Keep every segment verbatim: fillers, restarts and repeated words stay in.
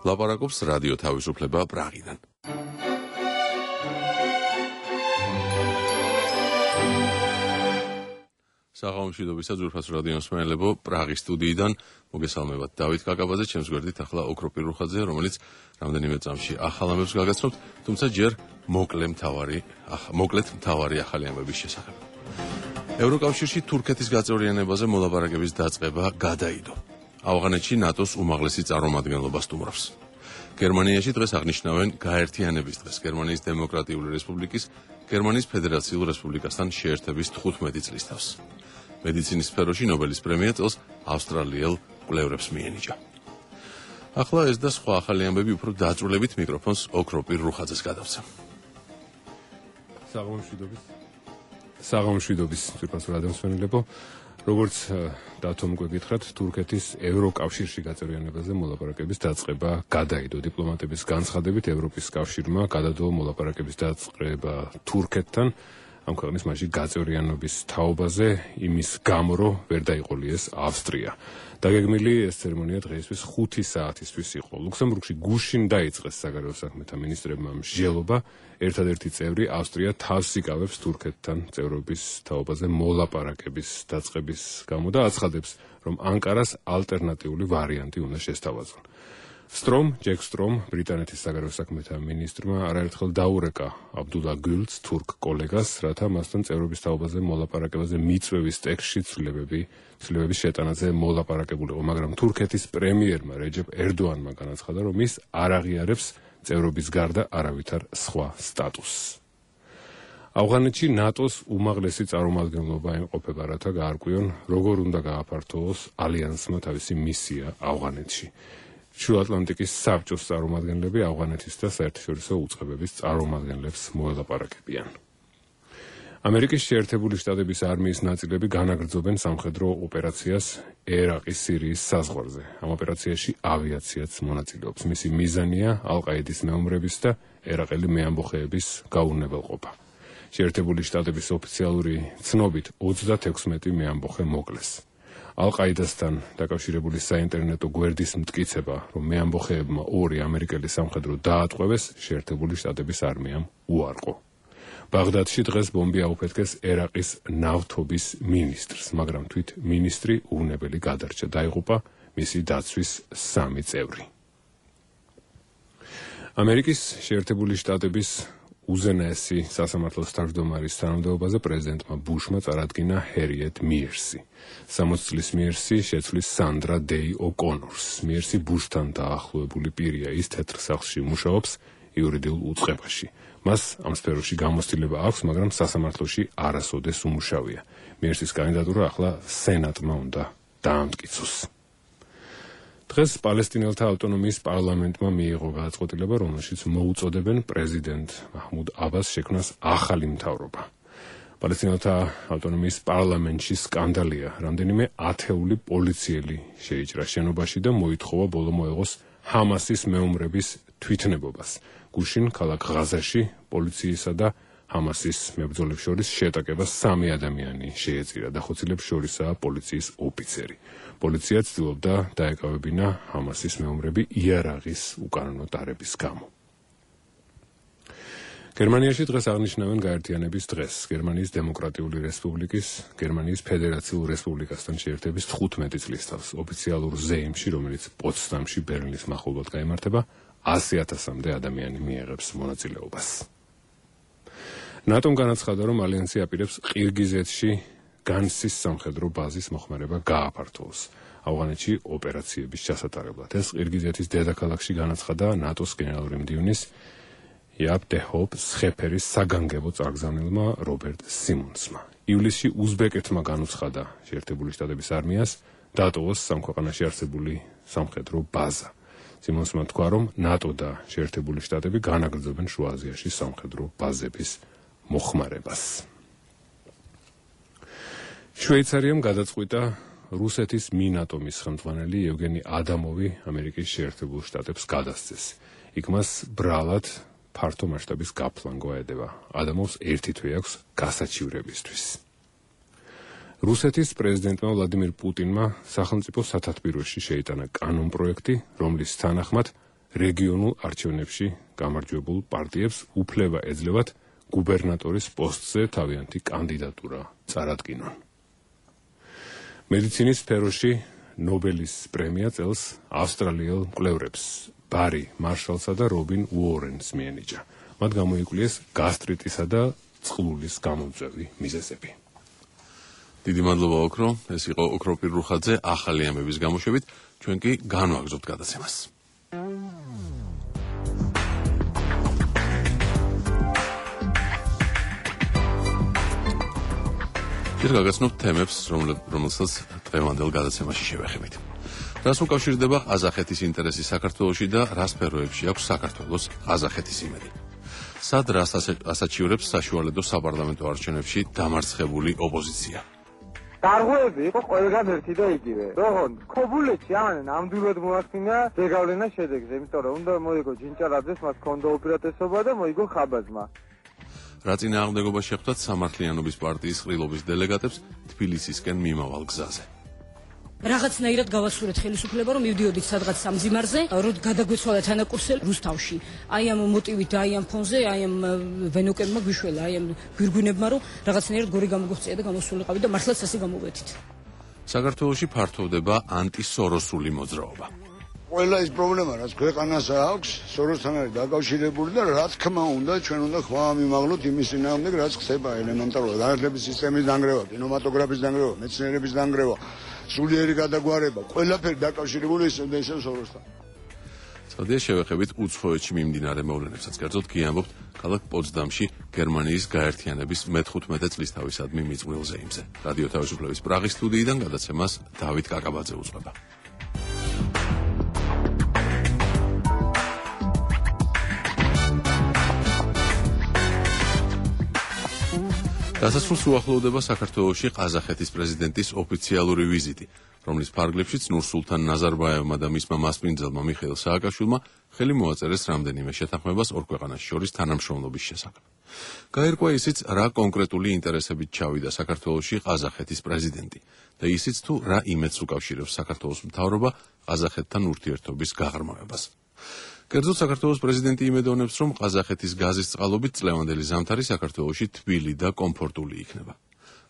ლაპარაკობს რადიო თავისუფლება პრაღიდან. საღამომშვიდობისა ძვირფას რადიო მსმენელებო, პრაღის სტუდიიდან მოგესალმებათ დავით კაკაბაძე, ჩემს გვერდით ახლა ოქროპირ რუხაძე, რომელიც რამდენიმე წამში ახალ ამბებს გაგაცნობთ, თუმცა ჯერ მოკლე მთავარი, მოკლედ მთავარი ახალი ამბების შესახებ. ევროკავშირში თურქეთის გაწევრიანებაზე მოლაპარაკების დაწყება გადაიდო. ავღანეთში ნატოს უმაღლესი წარმომადგენლობა სტუმრობს. გერმანიაში დღეს აღნიშნავენ გაერთიანების დღეს, გერმანიის დემოკრატიული რესპუბლიკის გერმანიის ფედერაციულ რესპუბლიკასთან შეერთების თხუთმეტი წლის თავს. მედიცინის სფეროში ნობელის პრემია წელს ავსტრალიელ კვლევრებს მიენიჭა. ახლა ეს და სხვა ახალი ამბები უფრო დაწვრილებით მიკროფონს ოქროპირ რუხაძეს გადავცემ. საღამომშვიდობის. საღამომშვიდობის ძვირფას რადიო მსმენელებო. როგორც დათომ გვეკითხათ, თურქეთის ევროკავშირში გაწევრიანებაზე მოლაპარაკების დაწყება გადაიდო. დიპლომატების განცხადებით, ევროპის კავშირმა გადადო მოლაპარაკების დაწყება თურქეთთან, ამ ქვეყნის მასში გაწევრიანების თაობაზე, იმის გამო, რომ ვერ დაიყოლიეს ავსტრია. დაგეგმილი ეს ცერემონია დღეისთვის ხუთი საათისთვის იყო. ლუქსემბურგში გუშინ დაიწყეს საგარეო საქმეთა მინისტრებმა მსჯელობა, ერთადერთი წევრი ავსტრია თავს იკავებს თურქეთთან წევრობის თაობაზე მოლაპარაკების დაწყების გამო და აცხადებს, რომ ანკარას ალტერნატიული ვარიანტი უნდა შესთავაზონ. სტრომ, ჯეკ სტრომ, ბრიტანეთის საგარეო საქმეთა მინისტრმა არაერთხელ დაურეკა აბდულა გულს, თურქ კოლეგას, რათა მასთან წევრობის თაობაზე მოლაპარაკებაზე მიწვევის ტექსტში ცვლილებები, ცვლილებების შეტანაზე მოლაპარაკებულიყო, მაგრამ თურქეთის პრემიერმა რეჯეპ ერდოანმა განაცხადა, რომ ის არ აღიარებს წევრობის გარდა არავითარ სხვა სტატუსს. ავღანეთში ნატოს უმაღლესი წარმომადგენლობა იმყოფება, რათა გაარკვიონ, როგორ უნდა გააფართოვოს ალიანსმა თავისი მისია ავღანეთში. შუაატლანტიკის საბჭოს წარმომადგენლები ავღანეთის და საერთაშორისო უწყებების წარმომადგენლებს მოელაპარაკებიან. ამერიკის შეერთებული შტატების არმიის ნაწილები განაგრძობენ სამხედრო ოპერაციას ერაყის სირიის საზღვარზე. ამ ოპერაციაში ავიაციაც მონაწილეობს. მისი მიზანია ალ-ყაიდის მეომრების და ერაყელი მეამბოხეების გაუვნებელყოფა. შეერთებული შტატების ოფიციალური ცნობით ოცდათექვსმეტი მეამბოხე მოკლეს. ალ-ყაიდასთან დაკავშირებული საინტერნეტო გვერდის მტკიცება, რომ მეამბოხეებმა ორი ამერიკელი სამხედრო დაატყვევეს, შეერთებული შტატების არმიამ უარყო. ბაღდადში დღეს ბომბი აუფეთქეს ერაყის ნავთობის მინისტრს, მაგრამ თვით მინისტრი უვნებელი გადარჩა, დაიღუპა მისი დაცვის სამი წევრი. ამერიკის შეერთებული შტატების უზენაესი სასამართლოს თავმჯდომარის თანამდებობაზე პრეზიდენტმა ბუშმა წარადგინა ჰერიეტ მიერსი. სამოცი წლის მიერსი შეცვლის სანდრა დეი ოკონორს. მიერსი ბუშთან დაახლოებული პირია, ის თეთრ სახლში მუშაობს იურიდიულ უწყებაში. მას ამ სფეროში გამოცდილება აქვს, მაგრამ სასამართლოში არასოდეს უმუშავია. მიერსის კანდიდატურა ახლა სენატმა უნდა დაამტკიცოს. დღეს პალესტინელთა ავტონომიის პარლამენტმა მიიღო გადაწყვეტილება, რომელშიც მოუწოდებენ პრეზიდენტ მაჰმუდ აბას შექმნას ახალი მთავრობა. პალესტინელთა ავტონომიის პარლამენტში სკანდალია, რამდენიმე ათეული პოლიციელი შეიჭრა შენობაში და მოითხოვა ბოლო მოეღოს ჰამასის მეომრების თვითნებობას. გუშინ ქალაქ ღაზაში პოლიციისა და ჰამასის მებრძოლებს შორის შეტაკებას სამი ადამიანი შეეწირა, დახოცილებს შორისაა პოლიციის ოფიცერი. პოლიცია ცდილობდა დაეკავებინა ჰამასის მეომრები იარაღის უკანონო ტარების გამო. გერმანიაში დღეს აღნიშნავენ გაერთიანების დღეს. გერმანიის დემოკრატიული რესპუბლიკის გერმანიის ფედერაციულ რესპუბლიკასთან შეერთების თხუთმეტი წლის თავს. ოფიციალურ ზეიმში, რომელიც პოცდამში ბერლინის მახლობლად გაიმართება, ასი ათასამდე ადამიანი მიიღებს მონაწილეობას. ნატომ განაცხადა, რომ ალიანსი აპირებს ყირგიზეთში განსის სამხედრო ბაზის მოხმარება გააფართოვოს ავღანეთში ოპერაციების ჩასატარებლად. ეს ყირგიზეთის დედაქალაქში განაცხადა ნატოს გენერალური მდივნის იაპ დე ჰოპ სხეფერის საგანგებო წარგზავნილმა რობერტ სიმონსმა. ივლისში უზბეკეთმა განუცხადა შეერთებული შტატების არმიას დატოვოს სამქვეყანაში არსებული სამხედრო ბაზა. სიმონსმა თქვა, რომ ნატო და შეერთებული შტატები განაგრძობენ შუა აზიაში სამხედრო ბაზების მოხმარებას. შვეიცარიამ გადაწყვიტა რუსეთის მინატომის ხელმძღვანელი ევგენი ადამოვი ამერიკის შეერთებულ შტატებს გადასცეს. იქ მას ბრალად ფართო მასშტაბის გაფლანგვა ედება. ადამოვს ერთი თვე აქვს გასაჩივრებისთვის. რუსეთის პრეზიდენტმა ვლადიმირ პუტინმა სახელმწიფო სათათბიროში შეიტანა კანონპროექტი, რომლის თანახმად რეგიონულ არჩევნებში გამარჯვებულ პარტიებს უფლება ეძლევათ გუბერნატორის პოსტზე თავიანთი კანდიდატურა წარადგინონ. მედიცინის სფეროში ნობელის პრემია წელს ავსტრალიელ მკვლევრებს ბარი მარშალსა და რობინ უორენს მიენიჭა. მათ გამოიკვლიეს გასტრიტისა და წყლულის გამოწვევი მიზეზები. დიდი მადლობა ოქრო, ეს იყო ოქრო პირრუხაძე ახალი ამების გამოშვებით, ჩვენ კი განვაგრძობთ გადაცემას. ჯერ გაგაცნობთ თემებს, რომელსაც დღევანდელ გადაცემაში შევეხებით. რას უკავშირდება ყაზახეთის ინტერესი საქართველოში და რა სფეროებში აქვს საქართველოს ყაზახეთის იმედი. სად რას ასაჩივრებს საშუალედო საპარლამენტო არჩევნებში დამარცხებული ოპოზიცია. გარღვევები იყო ყველგან ერთი და იგივე. როღონ ქობულეთში ამან ნამდვილად მოახდინა ზეგავლენა შედეგზე, იმიტომ რომ უნდა მოიგო ჯინჭარაძეს, მას ჰქონდა უპირატესობა და მოიგო ხაბაძმა. რა წინააღმდეგობა შეხვდათ სამართლიანობის პარტიის ყრილობის დელეგატებს თბილისისკენ მიმავალ გზაზე. რაღაცნაირად გავასურეთ ხელისუფლება, რომ მივდიოდით სადღაც სამძიმარზე, რომ გადაგვეცვალათ ანაკურსელი რუსთავში. აი ამ მოტივით და აი ამ ფონზე, აი ამ ვენოკებმა გვიშველა, აი ამ გვირგვინებმა, რომ რაღაცნაირად გორი გამოგვეწია და გამოსულიყავი და მართლაც ასე გამოვედით. საქართველოში ფართოვდება ანტისოროსული მოძრაობა. ყველა ის პრობლემა, რაც ქვეყანას აქვს, სოროსთან არის დაკავშირებული და რა თქმა უნდა, ჩვენ უნდა ხმა მივაღლოთ იმის წინააღმდეგ, რაც ხდება ელემენტარულად. განათლების სისტემის დანგრევა, კინემატოგრაფის დანგრევა, მეცნიერების დანგრევა, სულიერი გადაგვარება, ყველაფერი დაკავშირებული ისევ და ისევ სოროსთან. წოდია შევეხებით უცხოეთში მიმდინარე მოვლენებსაც. კერძოდ კი ამბობთ ქალაქ პოცდამში გერმანიის გაერთიანების მეთხუთმეტე წლისთავისადმი მიწვრილ ზეიმზე. რადიო თავისუფლების პრაღის სტუდიიდან გადაცემას დავით კაკაბაძე უძღვება. დასასრულს უახლოვდება საქართველოში ყაზახეთის პრეზიდენტის ოფიციალური ვიზიტი, რომლის ფარგლებშიც ნურსულთან ნაზარბაევმა და მისმა მასპინძელმა მიხეილ სააკაშვილმა ხელი მოაწერეს რამდენიმე შეთანხმებას ორ ქვეყანას შორის თანამშრომლობის შესახებ. გაირკვა ისიც, რა კონკრეტული ინტერესებით ჩავიდა საქართველოში ყაზახეთის პრეზიდენტი და ისიც თუ რა იმედს უკავშირებს საქართველოს მთავრობა ყაზახეთთან ურთიერთობის გაღრმავებას. კერძოდ საქართველოს პრეზიდენტი იმედოვნებს, რომ ყაზახეთის გაზის წყალობით წლევანდელი ზამთარი საქართველოში თბილი და კომფორტული იქნება.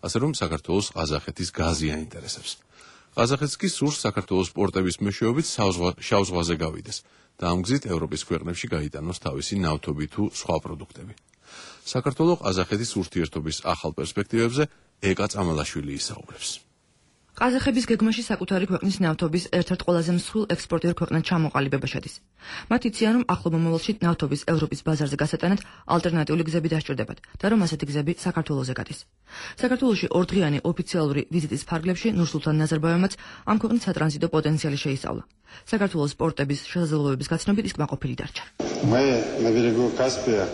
ასე რომ საქართველოს ყაზახეთის გაზი აინტერესებს. ყაზახეთს კი სურს საქართველოს პორტების მეშვეობით შავ ზღვაზე გავიდეს და ამ გზით ევროპის ქვეყნებში გაიტანოს თავისი ნავთობი თუ სხვა პროდუქტები. საქართველოს ყაზახეთის ურთიერთობის ახალ პერსპექტივებზე ეკა წამალაშვილი ისაუბრებს. ყაზახების გეგმაში საკუთარი ქვეყნის ნავთობის ერთ-ერთ ყველაზე მსხვილ ექსპორტიორ ქვეყნად ჩამოყალიბება შედის. მათ იციან, რომ ახლო მომავალში ნავთობის ევროპის ბაზარზე გასატანად ალტერნატიული გზები დასჭირდებათ და რომ ასეთი გზები საქართველოზე გადის. საქართველოში ორდღიანი ოფიციალური ვიზიტის ფარგლებში ნურსულთან ნაზარბაევმაც ამ ქვეყნის სატრანზიტო პოტენციალი შეისწავლა. საქართველოს პორტების შესაძლებლობების გაცნობით ის კმაყოფილი დარჩა. Мы на берегу Каспия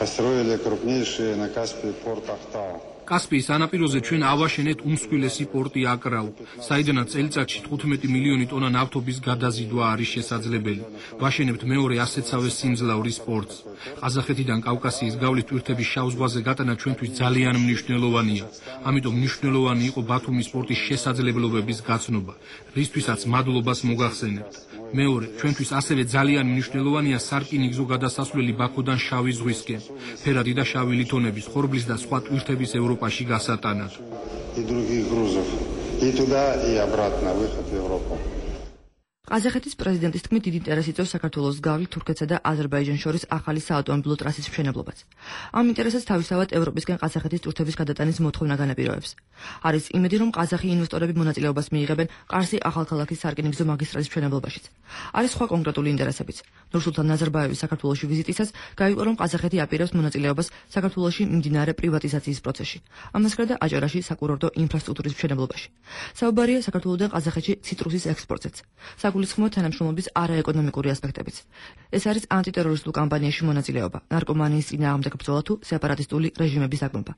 построили крупнейший на Каспии порт Ахтау. კასპიის ანაპიროზე ჩვენ ავაშენეთ უმსხვილესი პორტი აკრაუ, საიდანაც წელიწადში თხუთმეტი მილიონი ტონა ნავთობის გადაზიდვა არის შესაძლებელი. ვაშენებთ მეორე ასეთსავე სიმძლავრის პორტს. ყაზახეთიდან კავკასიის გავლით ტვირთების შავ ზღვაზე გატანა ჩვენთვის ძალიან მნიშვნელოვანია. ამიტომ მნიშვნელოვანი იყო ბათუმის პორტის შესაძლებლობების გაცნობა, რისთვისაც მადლობას მოგახსენებთ. მეორე, ჩვენთვის ასევე ძალიან მნიშვნელოვანია სარკინიგზო გადასასვლელი ბაქოდან შავი ზღვისკენ, ფერადი და შავი ლითონების, ხორბლის და სხვა ტვირთების ევროპაში გასატანად. ყაზახეთის პრეზიდენტის თქმით დიდი ინტერესი იწვევს საქართველოს გავლით თურქეთსა და აზერბაიჯანს შორის ახალი საავტომობილო ტრასის მშენებლობაც. ამ ინტერესებს თავისთავად ევროპისკენ ყაზახეთის ტვირთების გადატანის მოთხოვნა განაპირობებს. არის იმედი, რომ ყაზახი ინვესტორები მონაწილეობას მიიღებენ ყარსი ახალქალაქის სარკინიგზო მაგისტრალის მშენებლობაში. არის სხვა კონკრეტული ინტერესებიც. ნურსულთან ნაზარბაევის საქართველოში ვიზიტისას გაირკვა, რომ ყაზახეთი აპირებს მონაწილეობას საქართველოში მიმდინარე პრივატიზაციის პროცესში. ამას გარდა აჭარაში საკურორტო ინფრასტრუქტურის მშენებლობაში. საუბარია საქართველოდან ყაზახეთში ციტრუსის ექსპორტზეც. საგულისხმოა თანამშრომლობის არაეკონომიკური ასპექტებიც. ეს არის ანტიტერორისტულ კამპანიაში მონაწილეობა, ნარკომანიის წინააღმდეგ ბრძოლა თუ სეპარატისტული რეჟიმების დაგმობა.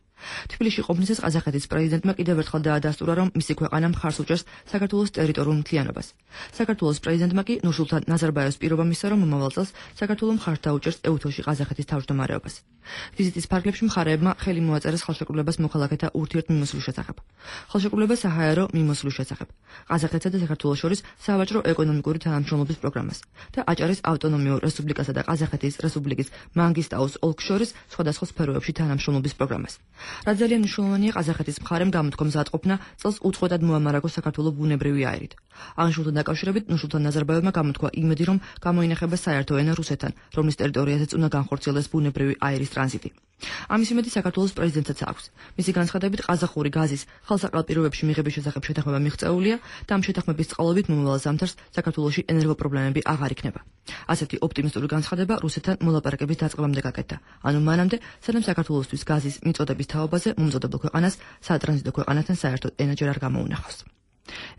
თბილისში ყოფნისას ყაზახეთის პრეზიდენტმა კიდევ ერთხელ დაადასტურა, რომ მისი ქვეყანა მხარს უჭერს საქართველოს ტერიტორიულ მთლიანობას. საქართველოს პრეზიდენტმა კი ნურსულთან ნაზარბაევს პირობა მისცა, რომ მომავალ წელს საქართველოს მხარს დაუჭერს ეუთოში ყაზახეთის თავმჯდომარეობას. ვიზიტის ფარგლებში მხარეებმა ხელი მოაწერეს ხელშეკრულებას მოქალაქეთა ურთიერთმიმოსვლის შესახებ. ხელშეკრულება საჰაერო მიმოსვლის შესახებ. ყაზახეთსა და საქართველოს შორის სავაჭრო ეკონომიკურ ეკონომიკური თანამშრომლობის პროგრამას და აჭარის ავტონომიურ რესპუბლიკასა და ყაზახეთის რესპუბლიკის მანგისტაუს ოლქს შორის სხვადასხვა სფეროებში თანამშრომლობის პროგრამას. რაც ძალიან მნიშვნელოვანია ყაზახეთის მხარემ გამოთქვა მზადყოფნა წელს უწყვეტად მოამარაგოს საქართველოს ბუნებრივი აირით. აღნიშნულთან დაკავშირებით ნურსულთან ნაზარბაევმა გამოთქვა იმედი, რომ გამოინახება საერთო ენა რუსეთთან, რომლის ტერიტორიაზეც უნდა განხორციელდეს ბუნებრივი აირის ტრანზიტი. ამის იმედი საქართველოს პრეზიდენტსაც აქვს. მისი განცხადებით ყაზახური გაზის ხელსაყრელ პირობებში მიღების შესახებ შეთანხმება მიღწეულია და ამ შეთანხმების წყალობით მომავალ ზამთარს საქართველოში ენერგოპრობლემები აღარ იქნება. ასეთი ოპტიმისტური განცხადება რუსეთთან მოლაპარაკების დაწყებამდე გაკეთდა. ანუ მანამდე, სანამ საქართველოსთვის გაზის მიწოდების თაობაზე მომწოდებელ ქვეყანას სატრანზიტო ქვეყანასთან საერთოდ ენაჯერ არ გამოუნახავს.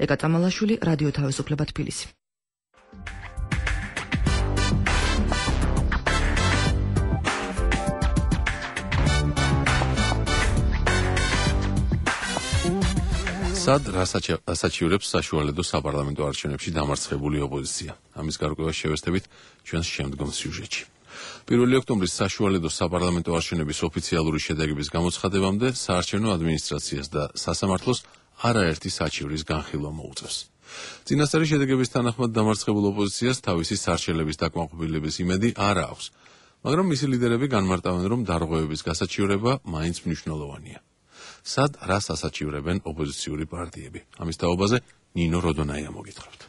ეკა წამალაშვილი, რადიო თავისუფლება, თბილისი. სად რასაჩივრებს საშუალედო საპარლამენტო არჩევნებში დამარცხებული ოპოზიცია. ამის გარკვევას შევესწრებით ჩვენს შემდგომ სიუჟეტში. პირველი ოქტომბრის საშუალედო საპარლამენტო არჩევნების ოფიციალური შედეგების გამოცხადებამდე საარჩევნო ადმინისტრაციას და სასამართლოს არაერთი საჩივრის განხილვა მოუწევს. წინასწარი შედეგების თანახმად დამარცხებულ ოპოზიციას თავისი სარჩელების დაკმაყოფილების იმედი არ აქვს, მაგრამ მისი ლიდერები განმარტავენ, რომ დარღვევების გასაჩივრება მაინც მნიშვნელოვანია. სად რას ასაჩივრებენ ოპოზიციური პარტიები? ამის თაობაზე ნინო როდონაია მოგითხრობთ.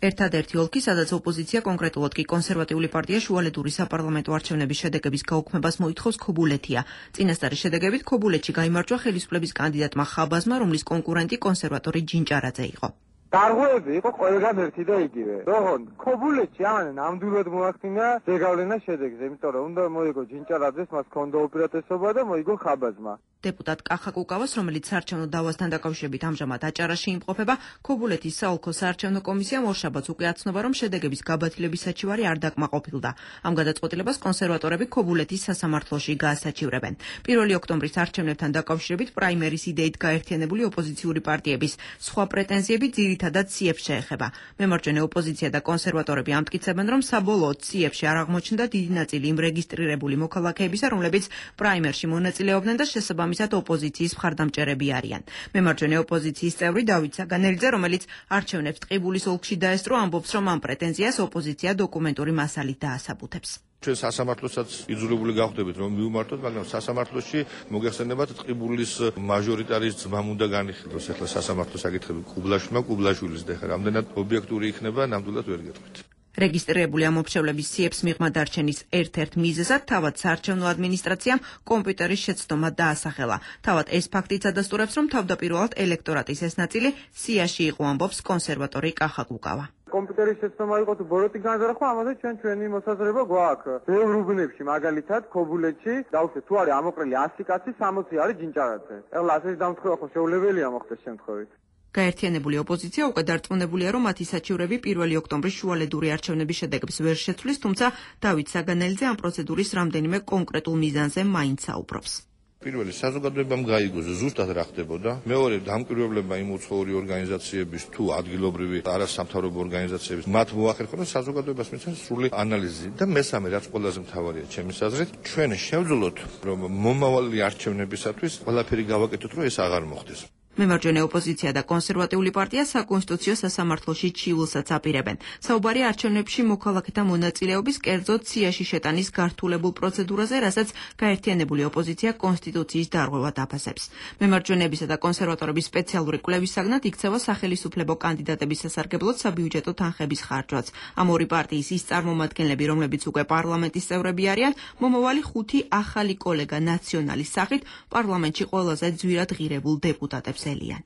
ერთადერთი ოლქი, სადაც ოპოზიცია, კონკრეტულად კი კონსერვატიული პარტია შუალედური საპარლამენტო არჩევნების შედეგების გაუქმებას მოითხოვს ქობულეთია. წინასწარი შედეგებით ქობულეთში გაიმარჯვა ხელისუფლების კანდიდატმა ხაბაზმა, რომლის კონკურენტი კონსერვატორი ჯინჭარაძე იყო. დარღვევები იყო ყველგან ერთი და იგივე. თორემ ქობულეთში ამან ნამდვილად მოახდინა ზეგავლენა შედეგზე, იმიტომ რომ უნდა მოიგო ჯინჭარაძეს, მას ჰქონდა უპირატესობა და მოიგო ხაბაზმა. დეპუტატ კახა კუკავას, რომელიც საარჩევნო დავასთან დაკავშირებით ამჟამად აჭარაში იმყოფება, ქობულეთის საოლქო საარჩევნო კომისიამ ორშაბათს უკვე აცნობა, რომ შედეგების გაბათილების საჩივარი არ დაკმაყოფილდა. ამ გადაწყვეტილებას კონსერვატორები ქობულეთის სასამართლოში გაასაჩივრებენ. პირველი ოქტომბრის არჩევნებთან დაკავშირებით პრაიმერის იდეით გაერთიანებული ოპოზიციური პარტიების სხვა პრეტენზიები ძირითადად ციებს შეეხება. მემარჯვენე ოპოზიცია და კონსერვატორები ამტკიცებენ, რომ საბოლოოდ ციებში არ აღმოჩნდა დიდი ნაწილი იმ რეგისტრირებული მოქალაქეებისა, რომლებიც პრაიმერში მონაწილეობდნენ და შესაბამისად ამისად ოპოზიციის მხარდამჭერები არიან. მემარჯვენე ოპოზიციის წევრი დავით საგანელიძე, რომელიც არჩევნებს ტყიბულის ოლქში დაესწრო, ამბობს, რომ ამ პრეტენზიას ოპოზიცია დოკუმენტური მასალით დაასაბუთებს. ჩვენ სასამართლოსაც იძულებული გავხდებით, რომ მივმართოთ, მაგრამ სასამართლოში მოგეხსენებათ ტყიბულის მაჟორიტარის ძმამ უნდა განიხილოს. ახლა სასამართლოს საკითხები კუბლაშვილმა, კუბლაშვილის და ახლა რამდენად ობიექტური იქნება, ნამდვილად ვერ გეტყვით. რეგისტრირებული ამობშევლების ციებს მიღმა დარჩენის ერთ-ერთ მიზეზად თავად საარჩევნო ადმინისტრაციამ კომპიუტერის შეცდომა დაასახელა. თავად ეს ფაქტიც ადასტურებს, რომ თავდაპირველად ელექტორატის ეს ნაწილი სიაში იყო, ამბობს კონსერვატორი კახა კუკავა. კომპიუტერის შეცდომა იყო თუ ბოროტი განზრახვა, ამაზე ჩვენ ჩვენი მოსაზრება გვაქვს. ბევრ უბნებში, მაგალითად, ქობულეთში, დავუშვათ, თუ არის ამოყრილი ასი კაცი, სამოცი არის ჯინჭარაძე. ეხლა ასეთი დამთხოვა ხო შეუძლებელია მოხდეს შემთხვევით. გაერთიანებული ოპოზიცია უკვე დარწმუნებულია, რომ მათი საჩივრები პირველი ოქტომბრის შუალედური არჩევნების შედეგებს ვერ შეცვლის, თუმცა დავით საგანელიძე ამ პროცედურის რამდენიმე კონკრეტულ მიზანზე მაინც საუბრობს. პირველი საზოგადოებამ გაიგოს ზუსტად რა ხდებოდა. მეორე დამკვირვებლებმა იმ უცხოური ორგანიზაციების თუ ადგილობრივი არასამთავრობო ორგანიზაციების მათ მოახერხონ საზოგადოებას მისცეს სრული ანალიზი და მესამე რაც ყველაზე მთავარია ჩემის აზრით, ჩვენ შევძლოთ რომ მომავალი არჩევნებისათვის ყველაფერი გავაკეთოთ, რომ ეს აღარ მოხდეს. მემარჯვენე ოპოზიცია და კონსერვატიული პარტია საკონსტიტუციო სასამართლოში ჩივილსაც აპირებენ. საუბარია არჩევნებში მოქალაქეთა მონაწილეობის, კერძოდ ციაში შეტანის გართულებულ პროცედურაზე, რასაც გაერთიანებული ოპოზიცია კონსტიტუციის დარღვევად აფასებს. მემარჯვენეებისა და კონსერვატორების სპეციალური კვლევის საგნად იქცევა სახელისუფლებო კანდიდატების სასარგებლოდ საბიუჯეტო თანხების ხარჯვაც. ამ ორი პარტიის ის წარმომადგენლები, რომლებიც უკვე პარლამენტის წევრები არიან, მომავალი ხუთი ახალი კოლეგა ნაციონალის სახით პარლამენტში ყველაზე ძვირად ღირებულ დეპუტატებს ელიან.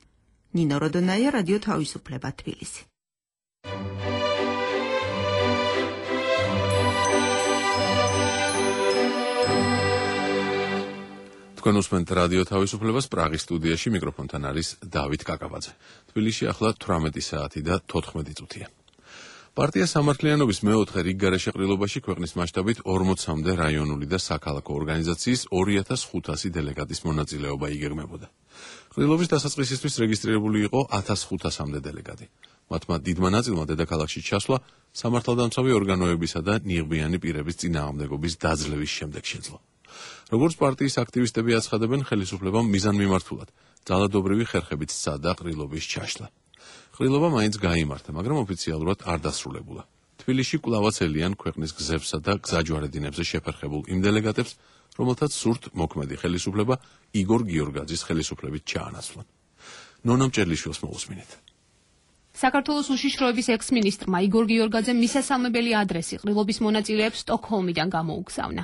ნინო როდონაია, რადიო თავისუფლება, თბილისი. თქვენ უსმენთ რადიო თავისუფლებას, პრაღის სტუდიაში მიკროფონთან არის დავით კაკაბაძე. თბილისში ახლა თვრამეტი საათი და თოთხმეტი წუთია. პარტია სამართლიანობის მეოთხე რიგგარეშე ყრილობაში ქვეყნის მასშტაბით ორმოცამდე რაიონული და საქალაქო ორგანიზაციის ორი ათას ხუთასი დელეგატის მონაწილეობა იგეგმებოდა. ყრილობის დასაწყისისთვის რეგისტრირებული იყო ათას ხუთასამდე დელეგატი. მათმა დიდმა ნაწილმა დედაქალაქში ჩასვლა სამართალდამცავი ორგანოებისა და ნიღბიანი პირების წინააღმდეგობის დაძლევის შემდეგ შეძლო. როგორც პარტიის აქტივისტები აცხადებენ, ხელისუფლებამ მიზანმიმართულად ძალადობრივი ხერხებით სცადა ყრილობის ჩაშლა. ყრილობა მაინც გაიმართა, მაგრამ ოფიციალურად არ დასრულებულა. თბილისში კვლავაც ელიან ქვეყნის გზებსა და გზაჯვარედინებზე შეფერხებულ იმ დელეგატებს, რომელთაც სურთ მოქმედი ხელისუფლება იგორ გიორგაძის ხელისუფლებით ჩაანაცვლონ. ნონა მჭერლიშვილს მოусმინეთ. საქართველოს უშიშროების ექს-მინისტრმა იგორ გიორგაძემ მისასალმებელი ადრესი ყრილობის მონაწილეებს სტოკჰოლმიდან გამოუგზავნა.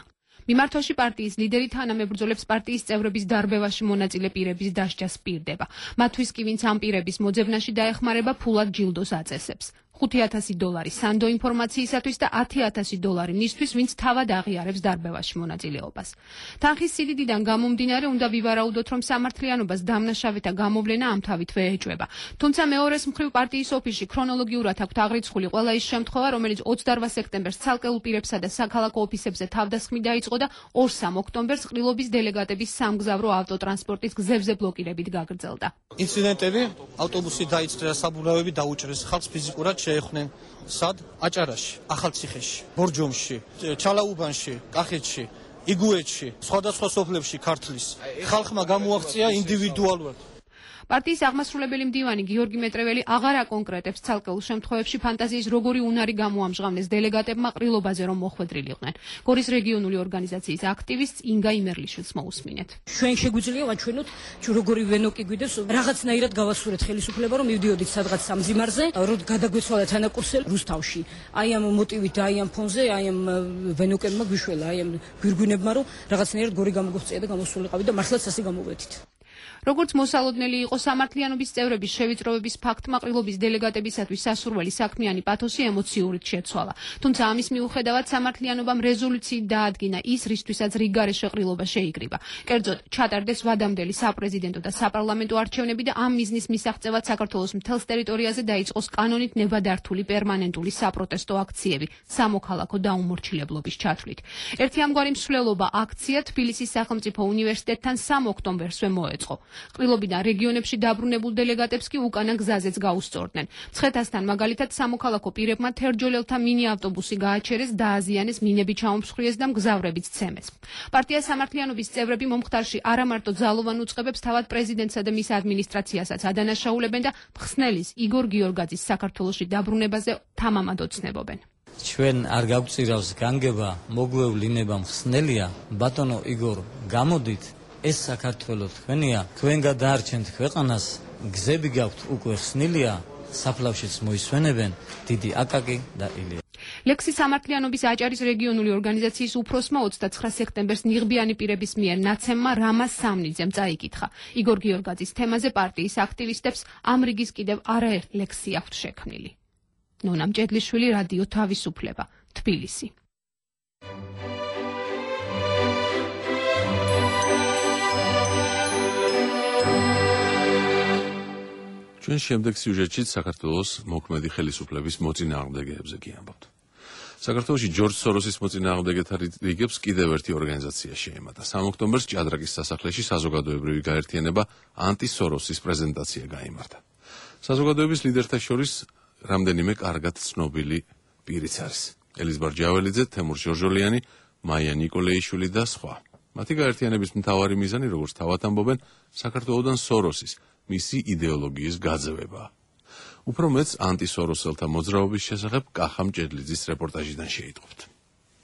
მიმართვაში პარტიის ლიდერი თანამებრძოლებს პარტიის წევრების დარბევაში მონაწილე პირების დასჯას პირდება. მათთვის კი ვინც ამ პირების მოძებნაში დაეხმარება ფულად ჯილდოს აწესებს. ხუთი ათასი დოლარი სანდო ინფორმაციისათვის და ათი ათასი დოლარი მისთვის, ვინც თავად აღიარებს დარბევაში მონაწილეობას. თანხის სიდიდიდან გამომდინარე, უნდა ვივარაუდოთ, რომ სამართლიანობას დამნაშავეთა გამოვლენა ამ თავითვე ეჭვება. თუმცა მეორეს მხრივ პარტიის ოფისში ქრონოლოგიურად აქვთ აღრიცხული ყველა ის შემთხვევა, რომელიც ოცდაორ სექტემბერს ცალკეულ პირებსა და საქალაქო ოფისებზე თავდასხმით დაიწყო და ორ-სამ ოქტომბერს ყრილობის დელეგატების სამგზავრო ავტოტრანსპორტის გზებზე ბლოკირებით გაგრძელდა. ინციდენტები, ავტობუსი დაიწყრა, საბურავები დაუჭრეს, ხალხს ფიზიკურად შეეხნენ სად? აჭარაში, ახალციხეში, ბორჯომში, ჩალაუბანში, კახეთში, იგუეთში, სხვადასხვა სოფლებში ქართლის ხალხმა გამოაღწია ინდივიდუალურად. პარტიის აღმასრულებელი მდივანი გიორგი მეტრეველი აღარ აკონკრეტებს ცალკეულ შემთხვევებში ფანტაზიის როგორი უნარი გამოამჟღავნეს დელეგატებმა ყრილობაზე რომ მოხვედრილიყვნენ. გორის რეგიონული ორგანიზაციის აქტივისტს ინგა იმერლიშვილს მოусმინეთ. ჩვენ შეგვიძლია ვაჩვენოთ როგორი ვენოკი გვიდეს რაღაცნაირად გავასურეთ ხელისუფლება რომ მივდიოდით სადღაც სამძიმარზე რომ გადაგვეცვალა თანაკურსელი რუსთავში. აი ამ მოტივით და აი ამ ფონზე აი ამ ვენოკებმა გვიშველა აი ამ გვირგვინებმა რომ რაღაცნაირად გორი გამოგვწია და გამოსულიყავით და მართლაც ასე გამოვედით. როგორც მოსალოდნელი იყო სამართლიანობის წევრების შევიწროების ფაქტმა ყრილობის დელეგატებისათვის სასურველი საქმიანი პათოსი ემოციურით შეცვალა. თუმცა ამის მიუხედავად სამართლიანობამ რეზოლუციით დაადგინა ის, რისთვისაც რიგგარეშე ყრილობა შეიკრიბა. კერძოდ, ჩატარდეს ვადამდელი საპრეზიდენტო და საპარლამენტო არჩევნები და ამ მიზნის მისაღწევად საქართველოს მთელს ტერიტორიაზე დაიწყოს კანონით ნებადართული პერმანენტული საპროტესტო აქციები სამოქალაქო დაუმორჩილებლობის ჩათვლით. ერთი ამგვარი მსვლელობა აქცია თბილისის სახელმწიფო უნივერსიტეტთან სამ ოქტომბერსვე მოეწყო. ყრილობიდან რეგიონებში დაბრუნებულ დელეგატებს კი უკანა გზაზეც გაუსწორდნენ. მცხეთასთან მაგალითად სამოქალაქო პირებმა თერჯოლელთა მინი ავტობუსი გააჩერეს, დააზიანეს, მინები ჩაუმსხვრიეს და მგზავრებიც ცემეს. პარტია სამართლიანობის წევრები მომხდარში არა მარტო ძალოვან უწყებებს, თავად პრეზიდენტსა და მის ადმინისტრაციასაც ადანაშაულებენ და მხსნელის იგორ გიორგაძის საქართველოში დაბრუნებაზე თამამად ოცნებობენ. ჩვენ არ გავწირავს განგება, მოგვევლინება მხსნელია, ბატონო იგორ, გამოდით ეს საქართველო თქვენია, თქვენ გადაარჩენთ ქვეყანას, გზები გაქვთ უკვე ხსნილია, საფლავშიც მოისვენებენ დიდი აკაკი და ილია. ლექსი სამართლიანობის აჭარის რეგიონული ორგანიზაციის უფროსმა ოცდაცხრა სექტემბერს ნიღბიანი პირების მიერ ნაცემმა რამას სამნიძემ წაიკითხა. იგორ გიორგაძის თემაზე პარტიის აქტივისტებს ამ რიგის კიდევ არაერთ ლექსი აქვთ შექმნილი. ნონა მჭედლიშვილი, რადიო თავისუფლება, თბილისი. ჩვენ შემდეგ სიუჟეტში საქართველოს მოქმედი ხელისუფლების მოწინააღმდეგეებზე გიამბობთ. საქართველოში ჯორჯ სოროსის მოწინააღმდეგეთა რიგებს კიდევ ერთი ორგანიზაცია შეემატა. სამ ოქტომბერს ჭადრაკის სასახლეში საზოგადოებრივი გაერთიანება ანტი-სოროსის პრეზენტაცია გაიმართა. საზოგადოების ლიდერთა შორის რამდენიმე კარგად ცნობილი პირიც არის. ელიზბარ ჯაველიძე, თემურ ჟორჟოლიანი, მაია ნიკოლეიშვილი და სხვა. მათი გაერთიანების მთავარი მიზანი, როგორც თავად ამბობენ, საქართველოდან სოროსის მისი იდეოლოგიის გაძევება. უფრო მეც ანტისოროსელთა მოძრაობის შესახებ კახა მჭედლიძის რეპორტაჟიდან შეიტყობთ.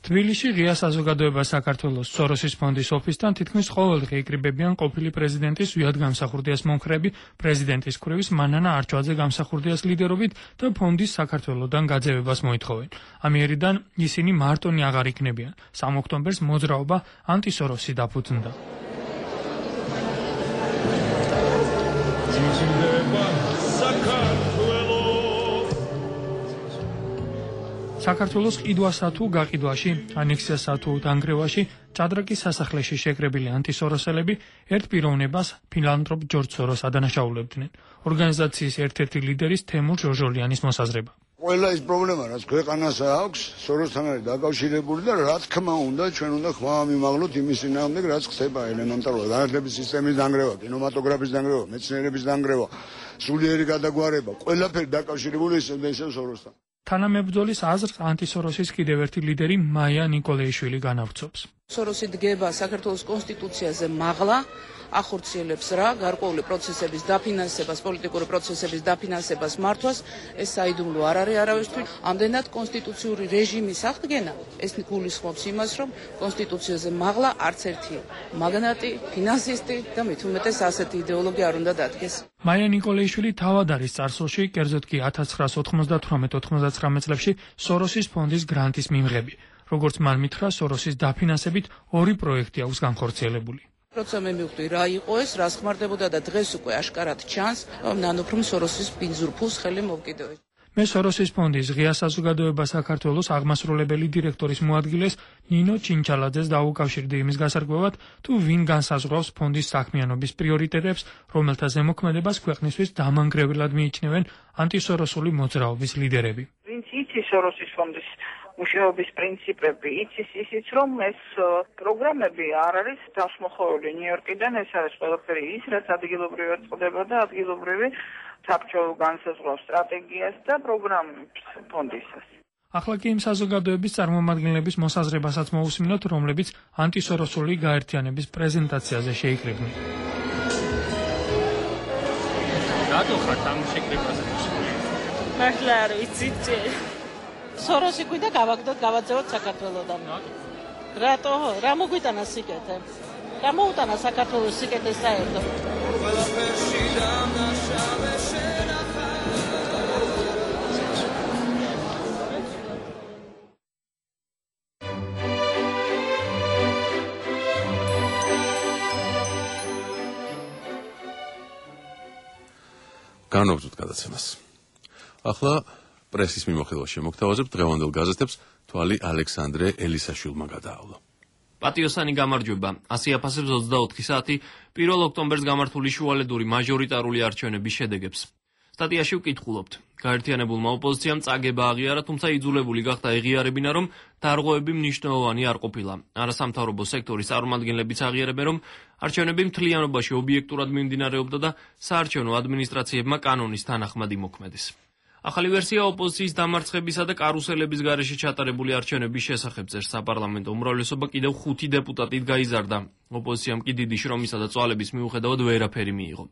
თბილისში ღია საზოგადოება საქართველოს სოროსის ფონდის ოფისთან თითქმის ყოველდღე იკრიბებიან ყოფილი პრეზიდენტის ვიად გამსახურდიას მომხრეები პრეზიდენტის კრივის მანანა არჩვაძე გამსახურდიას ლიდერობით და ფონდის საქართველოდან გაძევებას მოითხოვენ. ამიერიდან ისინი მარტონი აღარ იქნებიან. სამ ოქტომბერს მოძრაობა ანტისოროსი დაფუძნდა. საქართველოს ყიდვასა თუ გაყიდვაში, ანექსიასა თუ დანგრევაში, ჭადრაკის სასახლეში შეკრებილი ანტისოროსელები ერთ პიროვნებას ფილანტროპ ჯორჯ სოროს ადანაშაულებდნენ. ორგანიზაციის ერთ-ერთი ლიდერის თემურ ჟორჟოლიანის მოსაზრება. ყველა ის პრობლემა, რაც ქვეყანას აქვს, სოროსთან არის დაკავშირებული და რა თქმა უნდა, ჩვენ უნდა ხმა მივაღლოთ იმის წინააღმდეგ, რაც ხდება ელემენტარულად. განათლების სისტემის დანგრევა, კინემატოგრაფის დანგრევა, მეცნიერების დანგრევა, სულიერი გადაგვარება, ყველაფერი დაკავშირებული ისევ და ისევ სოროსთან. თანამებრძოლის აზრს ანტისოროსის კიდევ ერთი ლიდერი მაია ნიკოლეიშვილი განავრცობს. სოროსი დგება საქართველოს კონსტიტუციაზე მაღლა, ახორციელებს რა გარკვეული პროცესების დაფინანსებას, პოლიტიკური პროცესების დაფინანსებას მართვას, ეს საიდუმლო არ არის არავისთვის. ამდენად კონსტიტუციური რეჟიმის აღდგენა ეს გულისხმობს იმას, რომ კონსტიტუციაზე მაღლა არც ერთი მაგნატი, ფინანსისტი და მით უმეტეს ასეთი იდეოლოგი არ უნდა დადგეს. მაია ნიკოლაიშვილი თავად არის წარსულში, კერძოდ კი ათას ცხრაას ოთხმოცდათვრამეტ ოთხმოცდათხრამეტ წლებში სოროსის ფონდის გრანტის მიმღები. როგორც მან მითხრა, სოროსის დაფინანსებით ორი პროექტი აქვს განხორციელებული. როცა მე მივხვდი რა იყო ეს, რა ხმარდებოდა და დღეს უკვე აშკარად ჩანს, რომ ნანოფრომ სოროსის ბინძურ ფულს ხელი მოვკიდევეს. მე სოროსის ფონდის ღია საზოგადოება საქართველოს აღმასრულებელი დირექტორის მოადგილეს ნინო ჩინჩალაძეს დაუკავშირდი იმის გასარკვევად, თუ ვინ განსაზღვრავს ფონდის საქმიანობის პრიორიტეტებს, რომელთა ზემოქმედებას ქვეყნისთვის დამანგრევლად მიიჩნევენ ანტისოროსული მოძრაობის ლიდერები. ვინც იცის სოროსის ფონდის მუშაობის პრინციპები, იცის ისიც, რომ ეს პროგრამები არ არის დასმოხვეული ნიუ-იორკიდან, ეს არის ყველაფერი ის, რაც ადგილობრივად წყდება და ადგილობრივი საბჭო განსაზღვრავს სტრატეგიას და პროგრამებს ფონდისას. ახლა კი იმ საზოგადოების წარმომადგენლების მოსაზრებასაც მოусმინოთ, რომლებიც ანტისოროსული გაერთიანების პრეზენტაციაზე შეიკრიბნენ. რატო ხართ ამ შეკრებაზე? მართლა არ ვიცით. სოროსი გვიდა გავაგდოთ, გავაძევოთ საქართველოსთან. რატო? რა მოგვიტანა სიკეთე? რა მოუტანა საქართველოს სიკეთე საერთოდ? განვაგრძოთ გადაცემას. ახლა პრესის მიმოხილვაში მოგთავაზებ დღევანდელ გაზეთებს თვალი ალექსანდრე ელისაშვილმა გადაავლა. პატიოსანი გამარჯვება. ასი აფასებს ოცდაოთხი საათი პირველ ოქტომბერს გამართული შუალედური მაჟორიტარული არჩევნების შედეგებს. სტატიაში ვკითხულობთ. გაერთიანებულმა ოპოზიციამ წაგება აღიარა, თუმცა იძულებული გახდა ეღიარებინა, რომ დარღვევები მნიშვნელოვანი არ ყოფილა. არასამთავრობო სექტორის წარმომადგენლებიც აღიარებენ, რომ არჩევნები მთლიანობაში ობიექტურად მიმდინარეობდა და საარჩევნო ადმინისტრაციებმა კანონის თანახმად იმოქმედეს. ახალი ვერსია ოპოზიციის დამარცხებისა და კარუსელების გარეშე ჩატარებული არჩევნების შესახებ წერს. საპარლამენტო უმრავლესობა კიდევ ხუთი დეპუტატით გაიზარდა. ოპოზიციამ კი დიდი შრომისა და წვალების მიუხედავად ვერაფერი მიიღო.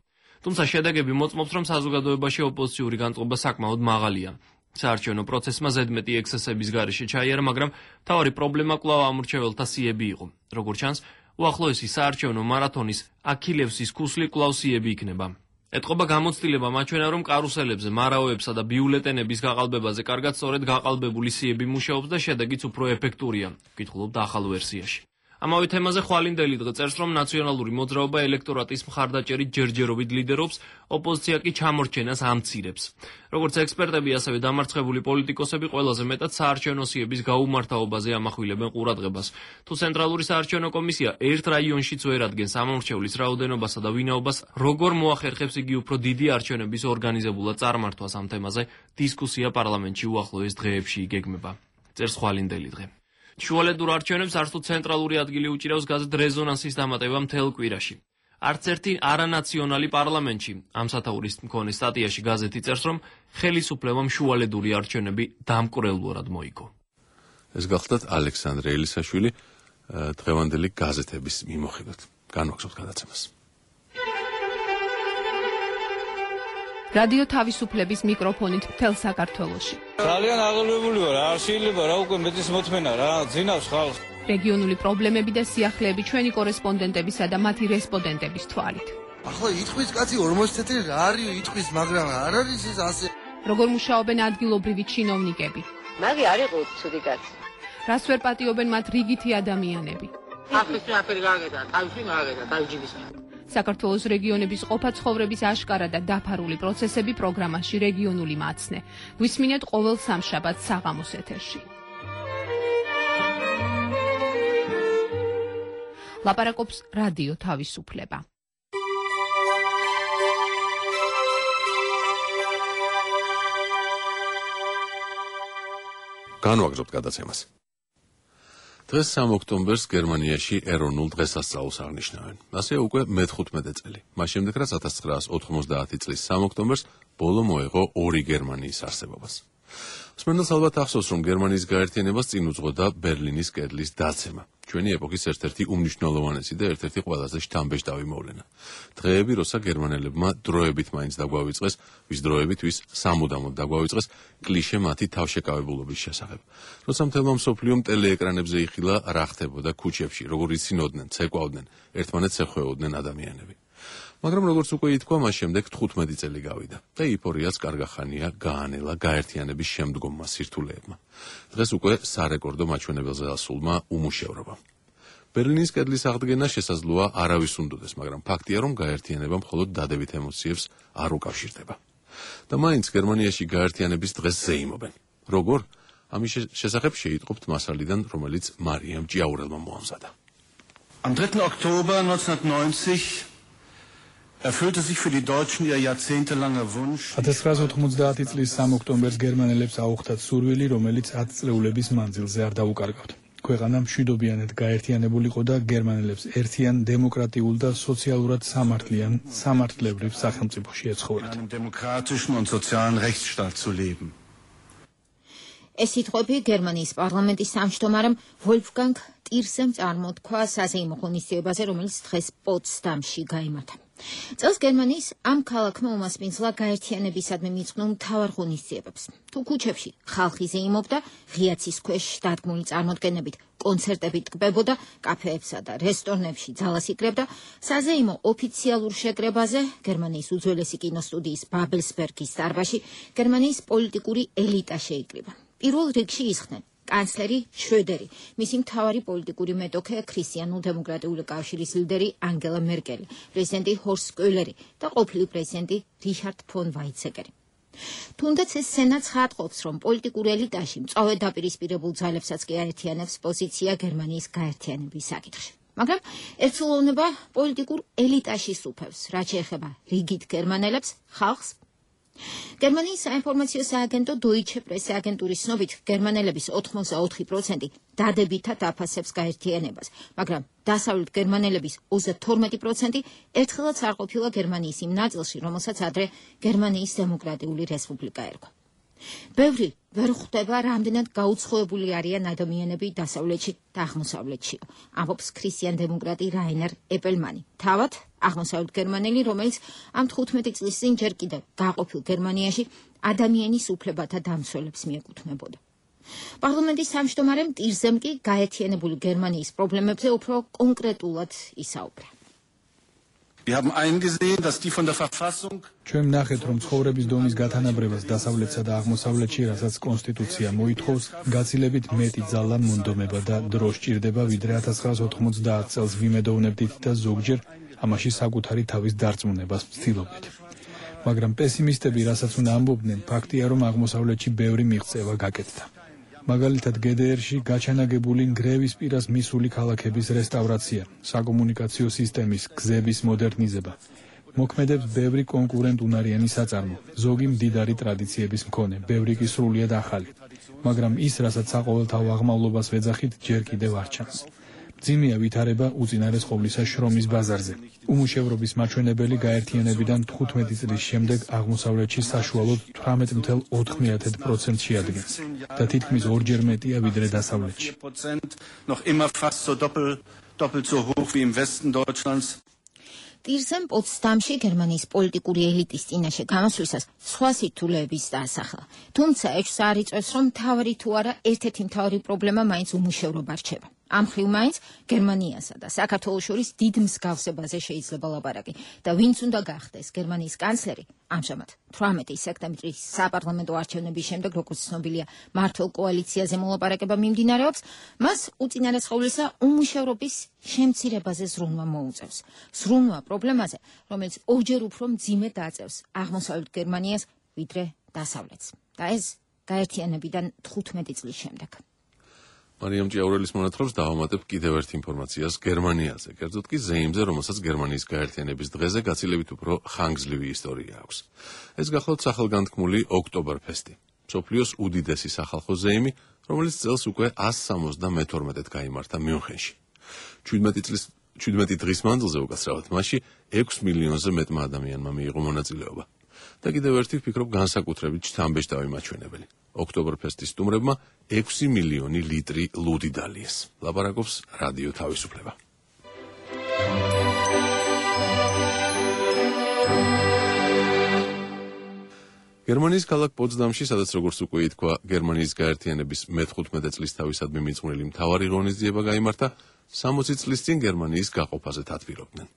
თუმცა შედეგები მოწმობს, რომ საზოგადოებაში ოპოზიციური განწყობა საკმაოდ მაღალია. საარჩევნო პროცესმა ზედმეტი ექსცესების გარეშე ჩაიარა, მაგრამ მთავარი პრობლემა კვლავ ამორჩეველთა სიები იყო. როგორც ჩანს, უახლოესი საარჩევნო მარათონის აქილევსის ქუსლი კვლავ სიები იქნება. ეთყობა გამოცდილება მაჩვენა, რომ კარუსელებზე, მარაოებსა და ბიულეტენების გაყალბებაზე კარგად სწორედ გაყალბებული სიები მუშაობს და შედეგიც უფრო ეფექტურია. ვკითხულობთ ახალ ვერსიაში. ამავე თემაზე ხვალინდელი დღე წერს, რომ ნაციონალური მოძრაობა ელექტორატის მხარდაჭერით ჯერჯერობით ლიდერობს, ოპოზიცია კი ჩამორჩენას ამცირებს. როგორც ექსპერტები, ასევე დამარცხებული პოლიტიკოსები ყველაზე მეტად საარჩევნო სიების გაუმართავობაზე ამახვილებენ ყურადღებას. თუ ცენტრალური საარჩევნო კომისია ერთ რაიონშიც ვერ ადგენს ამორჩევლის რაოდენობასა და ვინაობას, როგორ მოახერხებს იგი უფრო დიდი არჩევნების ორგანიზებულად წარმართვას ამ თემაზე, დისკუსია პარლამენტში უახლოეს დღეებში იგეგმება. წერს ხვალინდელი დღე. შუალედურ არჩევნებს არც თუ ცენტრალური ადგილი უჭირავს გაზეთ რეზონანსის დამატება მთელ კვირაში. არც ერთი არანაციონალი პარლამენტში. ამ სათაურის მქონე სტატიაში გაზეთი წერს, რომ ხელისუფლებამ შუალედური არჩევნები დამკვრელურად მოიგო. ეს გახლდათ ალექსანდრე ელისაშვილი დღევანდელი გაზეთების მიმოხილვით. განვაგრძობთ გადაცემას. რადიო თავისუფლების მიკროფონით მთელ საქართველოში. ძალიან აღელვებული ვარ, არ შეიძლება რა უკვე მეტის მოთმენა რა, ძინავს ხალხს. რეგიონული პრობლემები და სიახლეები ჩვენი კორესპონდენტებისა და მათი რესპონდენტების თვალით. ახლა იტყვის კაცი ორმოცი წელი რა არის იტყვის, მაგრამ არ არის ეს ასე. როგორ მუშაობენ ადგილობრივი ჩინოვნიკები? მაგი არ იყო ცუდი კაცი. რას ვერ პატიობენ მათ რიგითი ადამიანები? ახლა შეაფერი გაგედა, თავში გაგედა, თავჯიბის. საქართველოს რეგიონების ყოფა ცხოვრების აშკარა და დაფარული პროცესები პროგრამაში რეგიონული მაცნე. გვისმინეთ ყოველ სამშაბათს საღამოს ეთერში. ლაპარაკობს რადიო თავისუფლება. განვაგრძობთ გადაცემას. დღეს სამი ოქტომბერს გერმანიაში ეროვნულ დღესასწაულს აღნიშნავენ. ასე უკვე მეთხუთმეტე წელი. მას შემდეგ, რაც ათას ცხრაას ოთხმოცდაათი წლის სამი ოქტომბერს ბოლო მოეღო ორი გერმანიის არსებობას. მსმენელს ალბათ ახსოვს, რომ გერმანიის გაერთიანებას წინ უძღვოდა ბერლინის კედლის დაცემა. ჩვენი ეპოქის ერთ-ერთი უმნიშვნელოვანესი და ერთ-ერთი ყველაზე შთამბეჭდავი მოვლენა. დღეები, როცა გერმანელებმა დროებით მაინც დაგვავიწყეს, ვის დროებით, ვის სამუდამოდ დაგვავიწყეს კლიშე მათი თავშეკავებულობის შესახებ. როცა მთელმა მსოფლიომ ტელეეკრანებზე იხილა რა ხდებოდა ქუჩებში, როგორ იცინოდნენ, ცეკვავდნენ, ერთმანეთს ეხვეოდნენ ადამიანები. მაგრამ როგორც უკვე ითქვა, მას შემდეგ თხუთმეტი წელი გავიდა და ეიფორიაც კარგახანია გაანელა გაერთიანების შემდგომმა სირთულეებმა. დღეს უკვე სარეკორდო მაჩვენებელზე ასულმა უმუშევრობამ. ბერლინის კედლის აღდგენა შესაძლოა არავის უნდოდეს, მაგრამ ფაქტია, რომ გაერთიანება მხოლოდ დადებით ემოციებს არ უკავშირდება. და მაინც გერმანიაში გაერთიანების დღეს ზეიმობენ. როგორ? ამის შესახებ შეიტყობთ მასალიდან, რომელიც მარიამ ჭიაურელმა მოამზადა. Am dritten Oktober neunzehnhundertneunzig erfüllte sich für die Deutschen ihr jahrzehntelanger Wunsch. ათას ცხრაასი ოცდაათი წლის სამი ოქტომბერს გერმანელებს აუხდათ სურვილი, რომელიც ათი წლეულების მანძილზე არ დაუკარგავთ. ქვეყანა მშვიდობიანად გაერთიანებულიყო და გერმანელებს ერთიან, დემოკრატიულ და სოციალურად სამართლიან, სამართლებრივ სახელმწიფოში ეცხოვრათ. Einem demokratischen und sozialen Rechtsstaat zu leben. ეს სიტყვები გერმანიის პარლამენტის თავმჯდომარემ ვოლფგანგ ტირსემ წარმოთქვა საზეიმო ღონისძიებაზე, რომელიც დღეს პოტსდამში გაიმართა. წელს გერმანიის ამ ქალაქმა უმასპინძლა გაერთიანებისადმი მიწყნულ მთავარ ღონისძიებებს. თუ ქუჩებში ხალხი ზეიმობდა, ღიაცის ქვეშ დადგმული წარმოდგენებით კონცერტებით ტკბებოდა, კაფეებსა და რესტორნებში ძალას იკრებდა, საზეიმო ოფიციალურ შეკრებაზე, გერმანიის უძველესი კინოსტუდიის ბაბელსბერგის დარბაზში, გერმანიის პოლიტიკური ელიტა შეიკრიბა. პირველ რიგში ისხდნენ კანცლერი შროდერი, მისი მთავარი პოლიტიკური მეტოქე ქრისტიანულ-დემოკრატიული კავშირის ლიდერი ანგელა მერკელი, პრეზიდენტი ჰორსტ კოელერი და ყოფილი პრეზიდენტი რიჰარდ ფონ ვაიცეკერი. თუნდაც ეს სცენა ცხადყოფს, რომ პოლიტიკურ ელიტაში მწვავედ დაპირისპირებულ ძალებსაც კი აერთიანებს პოზიცია გერმანიის გაერთიანების საკითხში. მაგრამ ერთსულოვნება პოლიტიკურ ელიტაში სუფევს, რაც შეეხება რიგით გერმანელებს, ხალხს. გერმანიის საინფორმაციო სააგენტო Deutsche Presse აგენტურის ცნობით, გერმანელების ოთხმოცდაოთხი პროცენტი დადებითად აფასებს გაერთიანებას, მაგრამ დასავლეთ გერმანელების ოცდათორმეტი პროცენტი ერთხელაც არ ყოფილა გერმანიის იმ ნაწილში, რომელსაც ადრე გერმანიის დემოკრატიული რესპუბლიკა ერქვა. ბევრი ვერ ხვდება, რამდენად გაუცხოებული არიან ადამიანები დასავლეთში და აღმოსავლეთში, ამბობს ქრისტიან-დემოკრატი რაინერ ეპელმანი. თავად აღმოსავლეთ გერმანელი, რომელიც ამ თხუთმეტი წლის წინ ჯერ კიდევ გაყოფილ გერმანიაში ადამიანის უფლებათა დამცველებს მიეკუთვნებოდა. პარლამენტის თავმჯდომარემ ტირზემ კი გაერთიანებული გერმანიის პრობლემებზე უფრო კონკრეტულად ისაუბრა. Wir haben eingesehen, dass die von der Verfassung ჩვენ ნახეთ, რომ ცხოვრების დონის გათანაბრებას დასავლეთსა და აღმოსავლეთში, რასაც კონსტიტუცია მოითხოვს, გაცილებით მეტი ძალა, მონდომება და დრო სჭირდება, ვიდრე ათას ცხრაასი ოთხმოცდაათი წელს ვიმედოვნებდით და ზოგჯერ ამაში საკუთარი თავის დარწმუნებას ვცდილობდით. მაგრამ პესიმისტები, რასაც უნდა ამბობდნენ, ფაქტია, რომ აღმოსავლეთში ბევრი მიღწევა გაკეთდა. მაგალითად, გე დე ერში გაჩანაგებული ნგრევის პირას მისული ქალაქების რესტავრაცია, საკომუნიკაციო სისტემის, გზების მოდერნიზება. მოქმედებს ბევრი კონკურენტუნარიანი საწარმო, ზოგი მდიდარი ტრადიციების მქონე, ბევრი კი სრულიად ახალი. მაგრამ ის, რასაც საყოველთაო აღმავლობას ვეძახით, ჯერ კიდევ არ ჩანს. მძიმეა ვითარება უწინარეს ყოვლისა შრომის ბაზარზე. უმუშევრობის მაჩვენებელი გაერთიანებიდან თხუთმეტი წლის შემდეგ აღმოსავლეთში საშუალოდ თვრამეტ ათი ოცდაათი პროცენტს შეადგენს და თითქმის ორჯერ მეტია ვიდრე დასავლეთში. noch immer fast so doppelt doppelt so hoch wie im Westen Deutschlands. ტირზემ პოტსდამში გერმანიის პოლიტიკური ელიტის წინაშე გამოსვლისას სხვა სირთულეების დაასახლა. თუმცა ეჭვს არ იწვევს, რომ მთავარი თუ არა ერთ-ერთი მთავარი პრობლემა მაინც უმუშევრობა რჩება. ამ მხრივ მაინც გერმანიასა და საქართველოს შორის დიდ მსგავსებაზე შეიძლება ლაპარაკი და ვინც უნდა გახდეს გერმანიის კანცლერი, ამჟამად თვრამეტი სექტემბრის საპარლამენტო არჩევნების შემდეგ, როგორც ცნობილია, მართლ კოალიციაზე მოლაპარაკება მიმდინარეობს, მას უწინარეს ყოვლისა უმუშევრობის შემცირებაზე ზრუნვა მოუწევს. ზრუნვა პრობლემაზე, რომელიც ორჯერ უფრო მძიმე დააწევს აღმოსავლეთ გერმანიას ვიდრე დასავლეთს. და ეს გაერთიანებიდან თხუთმეტი წლის შემდეგ. მარიამ ჭიაურელის მონათხრობს დავამატებ კიდევ ერთ ინფორმაციას გერმანიაზე, კერძოდ კი ზეიმზე, რომელსაც გერმანიის გაერთიანების დღეზე გაცილებით უფრო ხანგრძლივი ისტორია აქვს. ეს გახლავთ სახელგანთქმული ოქტობერფესტი, მსოფლიოს უდიდესი სახალხო ზეიმი, რომელიც წელს უკვე ას სამოცდამეთორმეტედ გაიმართა მიუნხენში. შვიდმეტი წლის შვიდმეტი დღის მანძილზე უკაცრავად მასში ექვს მილიონზე მეტმა ადამიანმა მიიღო მონაწილეობა. და კიდევ ერთი ვფიქრობ განსაკუთრებით შთამბეჭდავი მაჩვენებელი. ოქტობრფესტის სტუმრებმა ექვსი მილიონი ლიტრი ლუდი დალიეს. ლაპარაკობს რადიო თავისუფლება. გერმანიის ქალაქ პოცდამში, სადაც როგორც უკვე ითქვა, გერმანიის გაერთიანების მეთხუთმეტე წლის თავისადმი მიძღვნილი მთავარი ღონისძიება გაიმართა, სამოცი წლის წინ გერმანიის გაყოფაზე თათბირობდნენ.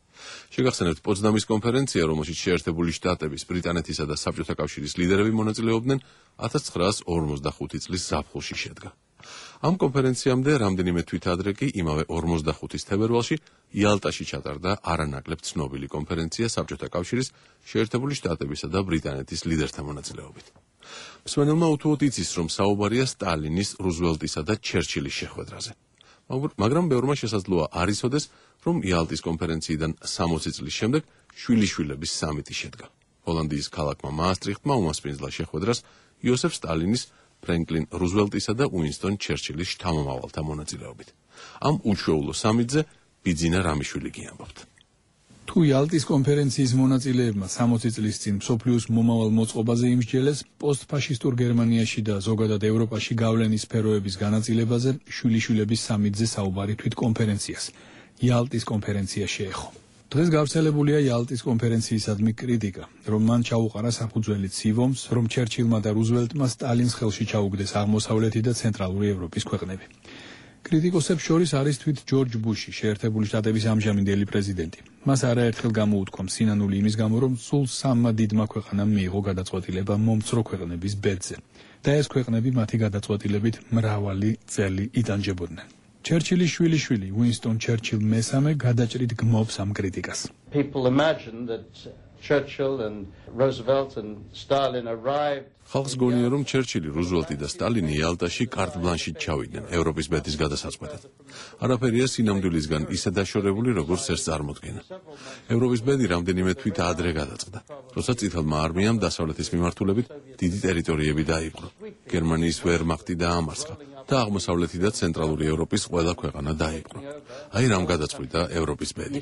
შეგახსენებთ, პოცდამის კონფერენცია, რომელშიც შეერთებული შტატების, ბრიტანეთისა და საბჭოთა კავშირის ლიდერები მონაწილეობდნენ, ათას ცხრაას ორმოცდახუთი წლის ზაფხულში შედგა. ამ კონფერენციამდე რამდენიმე თვით ადრე კი იმავე ორმოცდახუთის თებერვალში იალტაში ჩატარდა არანაკლებ ცნობილი კონფერენცია საბჭოთა კავშირის, შეერთებული შტატებისა და ბრიტანეთის ლიდერთა მონაწილეობით. მსმენელმა უთუოდ იცის, რომ საუბარია სტალინის, რუზველტისა და ჩერჩილის შეხვედრაზე. მაგრამ ბევრმა შესაძლოა არ იცოდეს, რომ იალტის კონფერენციიდან სამოცი წლის შემდეგ შვილიშვილების სამიტი შედგა. ჰოლანდიის ქალაქმა მაასტრიხტმა უმასპინძლა შეხვედრას იოსებ სტალინის, ფრენკლინ რუზველტისა და უინსტონ ჩერჩილის შთამომავალთა მონაწილეობით. ამ უჩვეულო სამიტზე ბიძინა რამიშვილი კი ამბობთ. თუ იალტის კონფერენციის მონაწილეებმა სამოცი წლის წინ მსოფლიოს მომავალ მოწყობაზე იმსჯელეს, პოსტფაშისტურ გერმანიაში და ზოგადად ევროპაში გავლენის სფეროების განაწილებაზე შვილიშვილების სამიტზე საუბარი თვით კონფერენციას, იალტის კონფერენცია შეეხო. დღეს გავრცელებულია იალტის კონფერენციისადმი კრიტიკა, რომ მან ჩაუყარა საფუძველი ცივომს, რომ ჩერჩილმა და რუზველტმა სტალინს ხელში ჩაუგდეს აღმოსავლეთი და ცენტრალური ევროპის ქვეყნები. კრიტიკოსებს შორის არის თვით ჯორჯ ბუში, შეერთებული შტატების ამჟამინდელი პრეზიდენტი. მას არაერთხელ გამოუთქვა სინანული იმის გამო, რომ სულ სამმა დიდმა ქვეყანამ მიიღო გადაწყვეტილება მომცრო ქვეყნების ბედზე და ეს ქვეყნები მათი გადაწყვეტილებით მრავალი წელი იტანჯებოდნენ. ჩერჩილის შვილიშვილი უინსტონ ჩერჩილ მესამე გადაჭრით გმობს ამ კრიტიკას. ხალხს გონია, რომ ჩერჩილი, რუზველტი და სტალინი იალტაში კარტ ბლანშით ჩავიდნენ ევროპის ბედის გადასაწყვეტად. არაფერია სინამდვილისგან ისე დაშორებული, როგორც ეს წარმოდგენა. ევროპის ბედი რამდენიმე თვით ადრე გადაწყდა, როცა წითელმა არმიამ დასავლეთის მიმართულებით დიდი ტერიტორიები დაიპყრო. გერმანიის ვერმახტი დაამარცხა და აღმოსავლეთი და ცენტრალური ევროპის ყველა ქვეყანა დაიპყრო. აი რამ გადაწყვიტა ევროპის ბედი.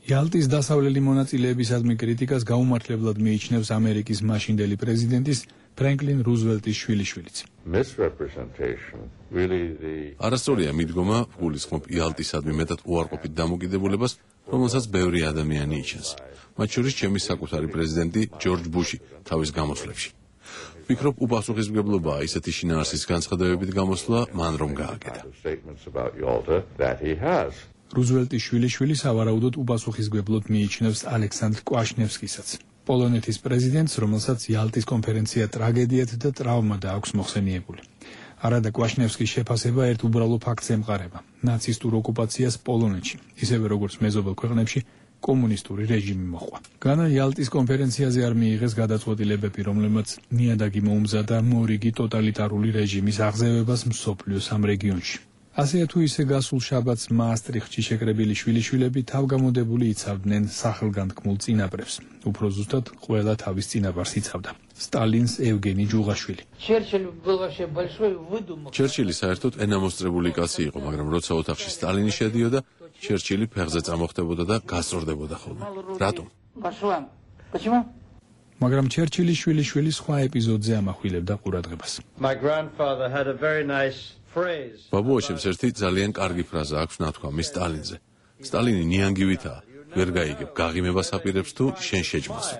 იალტის დასავლელი მონაწილეებისადმი კრიტიკას გაუმართლებლად მიიჩნევს ამერიკის მაშინდელი პრეზიდენტის ფრენკლინ რუზველტის შვილიშვილიც. არასწორია მიდგომა, გულისხმობ იალტისადმი მეტად უარყოფით დამოკიდებულებას, რომელსაც ბევრი ადამიანი იჩენს, მათ შორის ჩემი საკუთარი პრეზიდენტი ჯორჯ ბუში თავის გამოსვლებში. ვფიქრობ, უპასუხისმგებლობაა ისეთი შინაარსის განცხადებებით გამოსვლა მან რომ გააკეთა. რუზველტის შვილიშვილი სავარაუდოდ უპასუხისმგებლოდ მიიჩნევს ალექსანდრ კვაშნევსკისაც, პოლონეთის პრეზიდენტს, რომელსაც იალტის კონფერენცია ტრაგედიად და ტრავმად აქვს მოხსენიებული. არადა კვაშნევსკის შეფასება ერთ უბრალო ფაქტს ემყარება: ნაცისტურ ოკუპაციას პოლონეთში, ისევე როგორც მეზობელ ქვეყნებში, კომუნისტური რეჟიმი მოყვა. განა იალტის კონფერენციაზე არ მიიღეს გადაწყვეტილებები, რომლებმაც ნიადაგი მოუმზადა მორიგი ტოტალიტარული რეჟიმის აღზევებას მსოფლიოს ამ რეგიონში. ასეა თუ ისე გასულ შაბათს მაასტრიხტში შეკრებილი შვილიშვილები თავგამოდებული იცავდნენ სახელგანთქმულ წინაპრებს. უფრო ზუსტად, ყველა თავის წინაპარს იცავდა: სტალინს ევგენი ჯუღაშვილი. ჩერჩილი საერთოდ ენამოსწრებული კაცი იყო, მაგრამ როცა ოთახში სტალინი შედიოდა, ჩერჩილი ფეხზე წამოხდებოდა და გასწორდებოდა ხოლმე. რატომ? მაგრამ ჩერჩილის შვილიშვილი სხვა ეპიზოდზე ამახვილებდა ყურადღებას. ბაბუაშებს ერთი ძალიან კარგი ფრაზა აქვს ნათქვამი სტალინზე. სტალინი ნიანგივითაა, ვერ გაიგებ, გაღიმებას აპირებს თუ შენ შეჭმასო.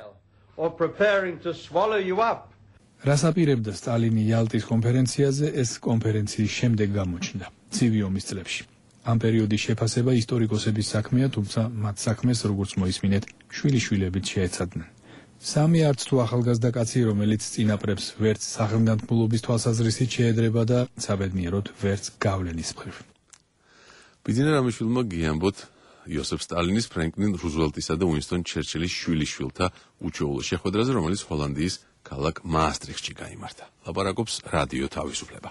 რას აპირებდა სტალინი იალტის კონფერენციაზე, ეს კონფერენციის შემდეგ გამოჩნდა, ცივი ომის წლებში. ამ პერიოდის შეფასება ისტორიკოსების საქმეა, თუმცა მათ საქმეს, როგორც მოისმინეთ, შვილიშვილებით შეეცადნენ. სამი არც თუ ახალგაზრდა კაცი, რომელიც წინაპრებს ვერც სახელგანთქმულობის თვალსაზრისით შეედრება და საბედნიეროდ ვერც გავლენის მხრივ. ბიძინა რამიშვილმა გიამბოთ იოსებ სტალინის, ფრენკლინ რუზველტისა და უინსტონ ჩერჩილის შვილიშვილთა უჩვეულო შეხვედრაზე, რომელიც ჰოლანდიის ქალაქ მაასტრიხტში გაიმართა. ლაპარაკობს რადიო თავისუფლება.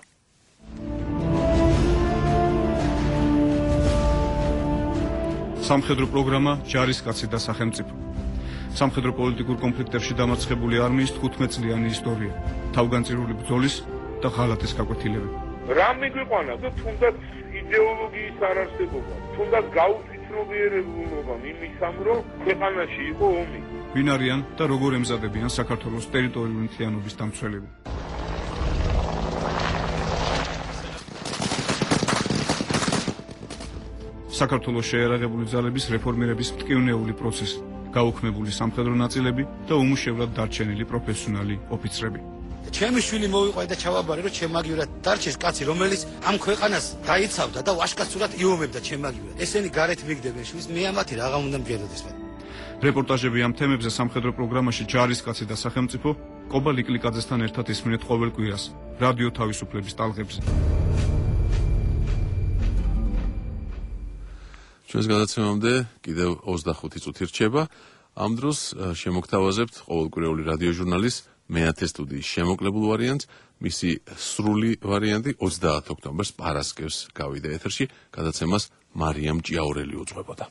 სამხედრო პროგრამა ჯარისკაცი და სახელმწიფო. სამხედრო პოლიტიკურ კონფლიქტებში დამარცხებული არმიის თხუთმეტ წლიანი ისტორია, თავგანწირული ბრძოლის და ღალატის გაკვეთილები. რა მიგვიყვანა და თუნდაც იდეოლოგიის არარსებობა, თუნდაც გაუწვით მცნობიერებულობამ იმისამ, რომ ქვეყანაში იყო ომი. ვინ არიან და როგორ ემზადებიან საქართველოს ტერიტორიული მთლიანობის დამცველები? საქართველოს შეერაღებული ძალების რეფორმირების მტკივნეული პროცესი, გაუქმებული სამხედრო ნაწილები და უმუშევრად დარჩენილი პროფესიონალი ოფიცრები. ჩემი შვილი მოვიყვე და ჩავაბარე, რომ ჩემაგივრად დარჩეს კაცი, რომელიც ამ ქვეყანას დაიცავდა და ვაშკაცურად იომებდა ჩემაგივრად. ესენი გარეთ მიგდებენ შვილს, მე ამათი რაღა უნდა მგეროდეს მე. რეპორტაჟები ამ თემებზე სამხედრო პროგრამაში ჯარისკაცი და სახელმწიფო კობა ლიკლიკაძესთან ერთად ისმენთ ყოველ კვირას რადიო თავისუფლების ტალღებზე. ჩვენს გადაცემამდე კიდევ ოცდახუთი წუთი რჩება. ამ დროს შემოგთავაზებთ ყოველკვირეული რადიო ჟურნალის მეათე სტუდიის შემოკლებულ ვარიანტს. მისი სრული ვარიანტი ოცდაათი ოქტომბერს პარასკევს გავიდა ეთერში. გადაცემას მარიამ ჭიაურელი უძღვებოდა.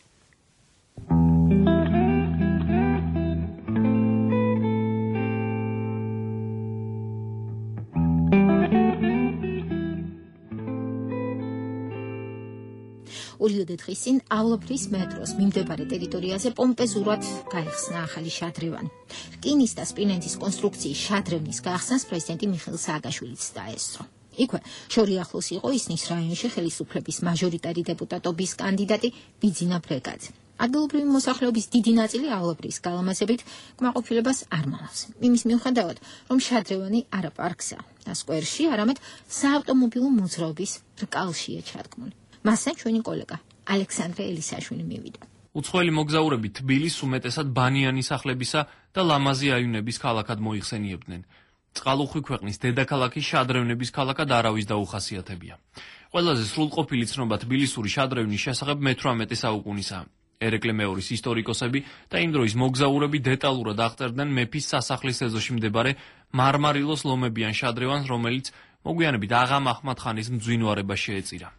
ორი დღის წინ ავლაფრის მეტროს მიმდებარე ტერიტორიაზე პომპეზურად გაიხსნა ახალი შადრევანი. რკინის და სპილენძის კონსტრუქციის შადრევნის გახსნას პრეზიდენტი მიხეილ სააკაშვილიც დაესწრო. იქვე შორი ახლოს იყო ისნის რაიონში ხელისუფლების მაჟორიტარი დეპუტატობის კანდიდატი ბიძინა ბრეგაძე. ადგილობრივი მოსახლეობის დიდი ნაწილი ავლაფრის გალამაზებით კმაყოფილებას არ მალავს. იმის მიუხედავად, რომ შადრევანი არა პარკსა და სკვერში, არამედ საავტომობილო მოძრაობის რკალშია ჩადგმული. მასთან ჩვენი კოლეგა ალექსანდრე ელისაშვილი მივიდა. უცხოელი მოგზაურები თბილის უმეტესად ბანიანი სახლებისა და ლამაზი აივნების ქალაქად მოიხსენიებდნენ. წყალუხვი ქვეყნის დედაქალაქის შადრევნების ქალაქად არავის დაუხასიათებია. ყველაზე სრულყოფილი ცნობა თბილისური შადრევნის შესახებ მეთვრამეტე საუკუნისაა. ერეკლე მეორის ისტორიკოსები და იმ დროის მოგზაურები დეტალურად აღწერდნენ მეფის სასახლის ეზოში მდებარე მარმარილოს ლომებიან შადრევანს, რომელიც მოგვიანებით აღამ აჰმად ხანის მძვინვარება შეეწირა.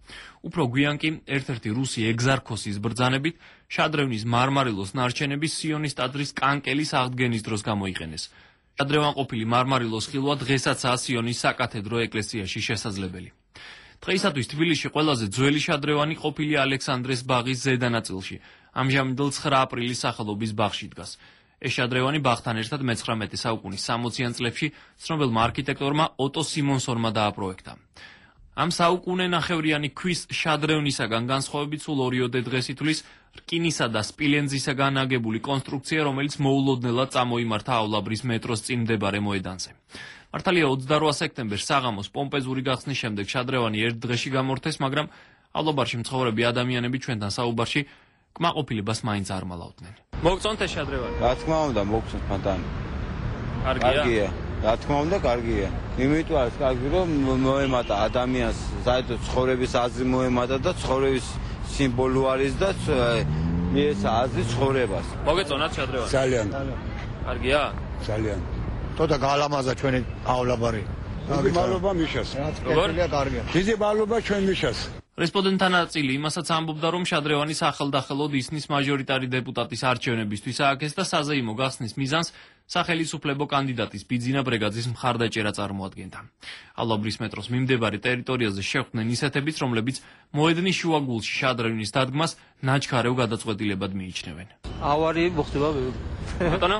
უფრო გვიან კი ერთ-ერთი რუსი ეგზარქოსის ბრძანებით შადრევნის მარმარილოს ნარჩენები სიონის ტაძრის კანკელის აღდგენის დროს გამოიყენეს. შადრევანყოფილი მარმარილოს ხილვა დღესაცაა სიონის საკათედრო ეკლესიაში შესაძლებელი. დღეისათვის თბილისში ყველაზე ძველი შადრევანი ყოფილი ალექსანდრეს ბაღის ზედა ნაწილში, ამჟამინდელ ცხრა აპრილის სახელობის ბაღში დგას. ეს შადრევანი ბაღთან ერთად მეცხრამეტე საუკუნის სამოციან წლებში ცნობილმა არქიტექტორმა ოტო სიმონსონმა დააპროექტა. ამ საუკუნენახევრიანი ქვის შადრევნისაგან განსხვავებით სულ ორიოდე დღეს ითვლის რკინისა და სპილენძისაგან აგებული კონსტრუქცია, რომელიც მოულოდნელად წამოიმართა ავლაბრის მეტროს წინ მდებარე მოედანზე. მართალია ოცდარვა სექტემბერს საღამოს პომპეზური გახსნის შემდეგ შადრევანი ერთ დღეში გამორთეს, მაგრამ ავლაბარში მცხოვრები ადამიანები ჩვენთან საუბარში კმაყოფილებას მაინც არ მალავდნენ. მოგწონთ ეს შადრევანი? რა თქმა უნდა, მოგწონთ მათანი. კარგია? რა თქმა უნდა, კარგია. იმიტომ არის კარგი, რომ მოემატა ადამიანს, საერთოდ ცხოვრების აზრი მოემატა და ცხოვრების სიმბოლო არის და ეს აზრი ცხოვრებას. მოგეწონათ შადრევანი? ძალიან. კარგია? ძალიან. თოდა გალამაზა ჩვენი ავლაბარი. დიდი მადლობა მიშას. როგორ? კარგია. დიდი მადლობა ჩვენ მიშას. რესპონდენტთა ნაწილი იმასაც ამბობდა, რომ შადრევანის ახალდახელოდ ისნის მაჟორიტარი დეპუტატის არჩევნებისთვის ააგეს და საზეიმო გახსნის მიზანს სახელისუფლებო კანდიდატის ბიძინა ბრეგაძის მხარდაჭერა წარმოადგენდა. ავლაბრის მეტროს მიმდებარე ტერიტორიაზე შეხვდნენ ისეთებიც, რომლებიც მოედნის შუაგულში შადრევნის დადგმას ნაჩქარევ გადაწყვეტილებად მიიჩნევენ. ავარია მოხდება ბატონო?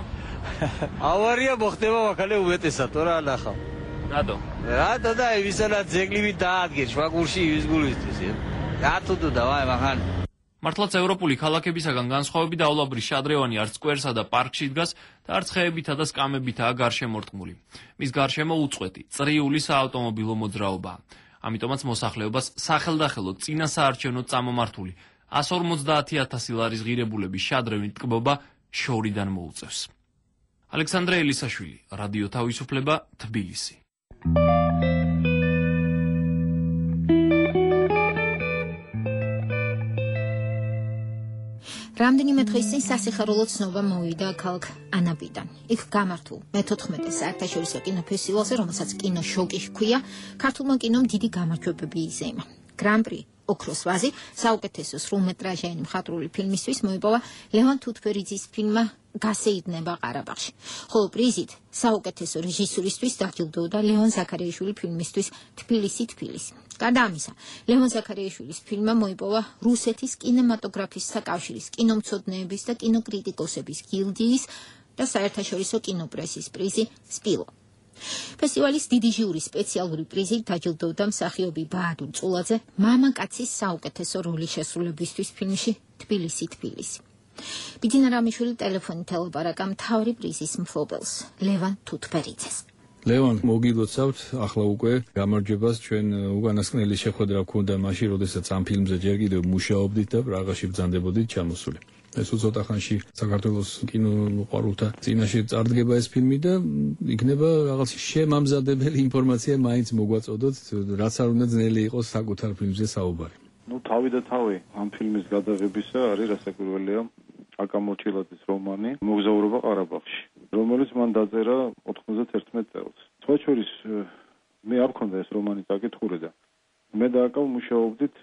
ავარია მოხდება მაგალე უმეტესად, რა ნახავ. რატო? რატო და ვისანა ძეგლივი დაადგენ შუაგულში ის გულისთვის. რატო და ვაი მაგან. მართლაც ევროპული ქალაქებისაგან განსხვავებით ავლაბრის შადრევანი არც სკვერსა და პარკში დგას და არც ხეებითა და სკამებითაა გარშემორტყმული. მის გარშემო უწყვეტი, წრიული საავტომობილო მოძრაობაა. ამიტომაც მოსახლეობას სახელდახელოდ წინა საარჩევნო წამომართული εκατს ორმოცდაათი ათასი ლარის ღირებულების შადრევნით ტკბობა შორიდან მოუწევს. ალექსანდრე ელისაშვილი, რადიო თავისუფლება, თბილისი. რამდენიმე დღის წინ სასიხარულო ცნობა მოვიდა ქალაქ ანაბიდან. იქ გამართულ მეთოთხმეტე საერთაშორისო კინოფესტივალზე, რომელსაც კინო შოკი ჰქვია, ქართულმა კინომ დიდი გამარჯვებები იზეიმა. გრან-პრი ოქროს ვაზი, საუკეთესო სრულმეტრაჟიანი მხატვრული ფილმისთვის მოიპოვა ლევან თუთფერიძის ფილმმა გასეირნება ყარაბაღში. ხოლო პრიზით საუკეთესო რეჟისურისთვის დაჯილდოვდა ლევან ზაქარიაშვილი ფილმისთვის თბილისი თბილისი. გარდა ამისა, ლევან ზაქარიაშვილის ფილმმა მოიპოვა რუსეთის კინემატოგრაფისტთა კავშირის, კინომცოდნეების და კინოკრიტიკოსების გილდიის და საერთაშორისო კინოპრესის პრიზი სპილო. ფესტივალის დიდი ჟიურის სპეციალური პრიზით დაჯილდოვდა მსახიობი ბაადურ წულაძე მამაკაცის საუკეთესო როლის შესრულებისთვის ფილმში თბილისი თბილისი. ბიძინა რამიშვილი ტელეფონით ელაპარაკა მთავარი პრიზის მფლობელს, ლევან თუთფერიძეს. ლევან, მოგილოცავთ ახლა უკვე გამარჯვებას, ჩვენ უკანასკნელი შეხვედრა გქონდა მაშინ, როდესაც ამ ფილმზე ჯერ კიდევ მუშაობდით და პრაღაში ბრძანდებოდით ჩამოსული. ეს უცოტა ხანში საქართველოს კინომოყვარულთა წინაშე წარდგება ეს ფილმი და იქნება რაღაც შემამზადებელი ინფორმაცია მაინც მოგვაწოდოთ, რაც არ უნდა ძნელი იყოს საკუთარ ფილმზე საუბარი. ნუ თავი და თავი ამ ფილმის გადაღებისა არის რასაკვირველია აკა მოჭილაძის რომანი მოგზაურობა ყარაბაღში, რომელიც მან დაწერა ოთხმოცდაერთმეტ წელს. სხვა შორის მე არ მქონდა ეს რომანი წაკითხული და მე და აკა მუშაობდით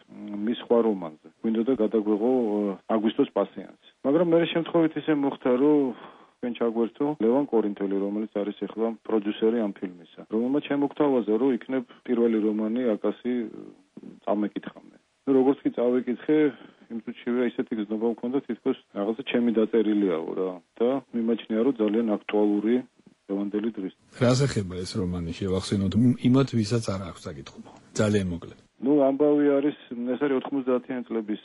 მის სხვა რომანზე. გვინდოდა გადაგვეღო აგვისტოს პასიანსი. მაგრამ მე შემთხვევით ისე მოხდა, რომ ჩვენ ჩაგვერთო ლევან კორინთელი, რომელიც არის ახლა პროდიუსერი ამ ფილმისა. რომელმაც შემოგთავაზა, რომ იქნებ პირველი რომანი აკასი წამეკითხავდნენ. ნუ როგორც კი წავეკითხე, იმ წუთშივე ისეთი გზნობა მქონდა, თითქოს რაღაცა ჩემი დაწერილიაო რა და მიმაჩნია, რომ ძალიან აქტუალური ლევანდელი დღის. რას ეხება ეს რომანი, შევახსენოთ იმათ, ვისაც არ აქვს საკითხობა. ძალიან მოკლედ. ნუ ამბავი არის, ეს არის ოთხმოცდაათიანი წლების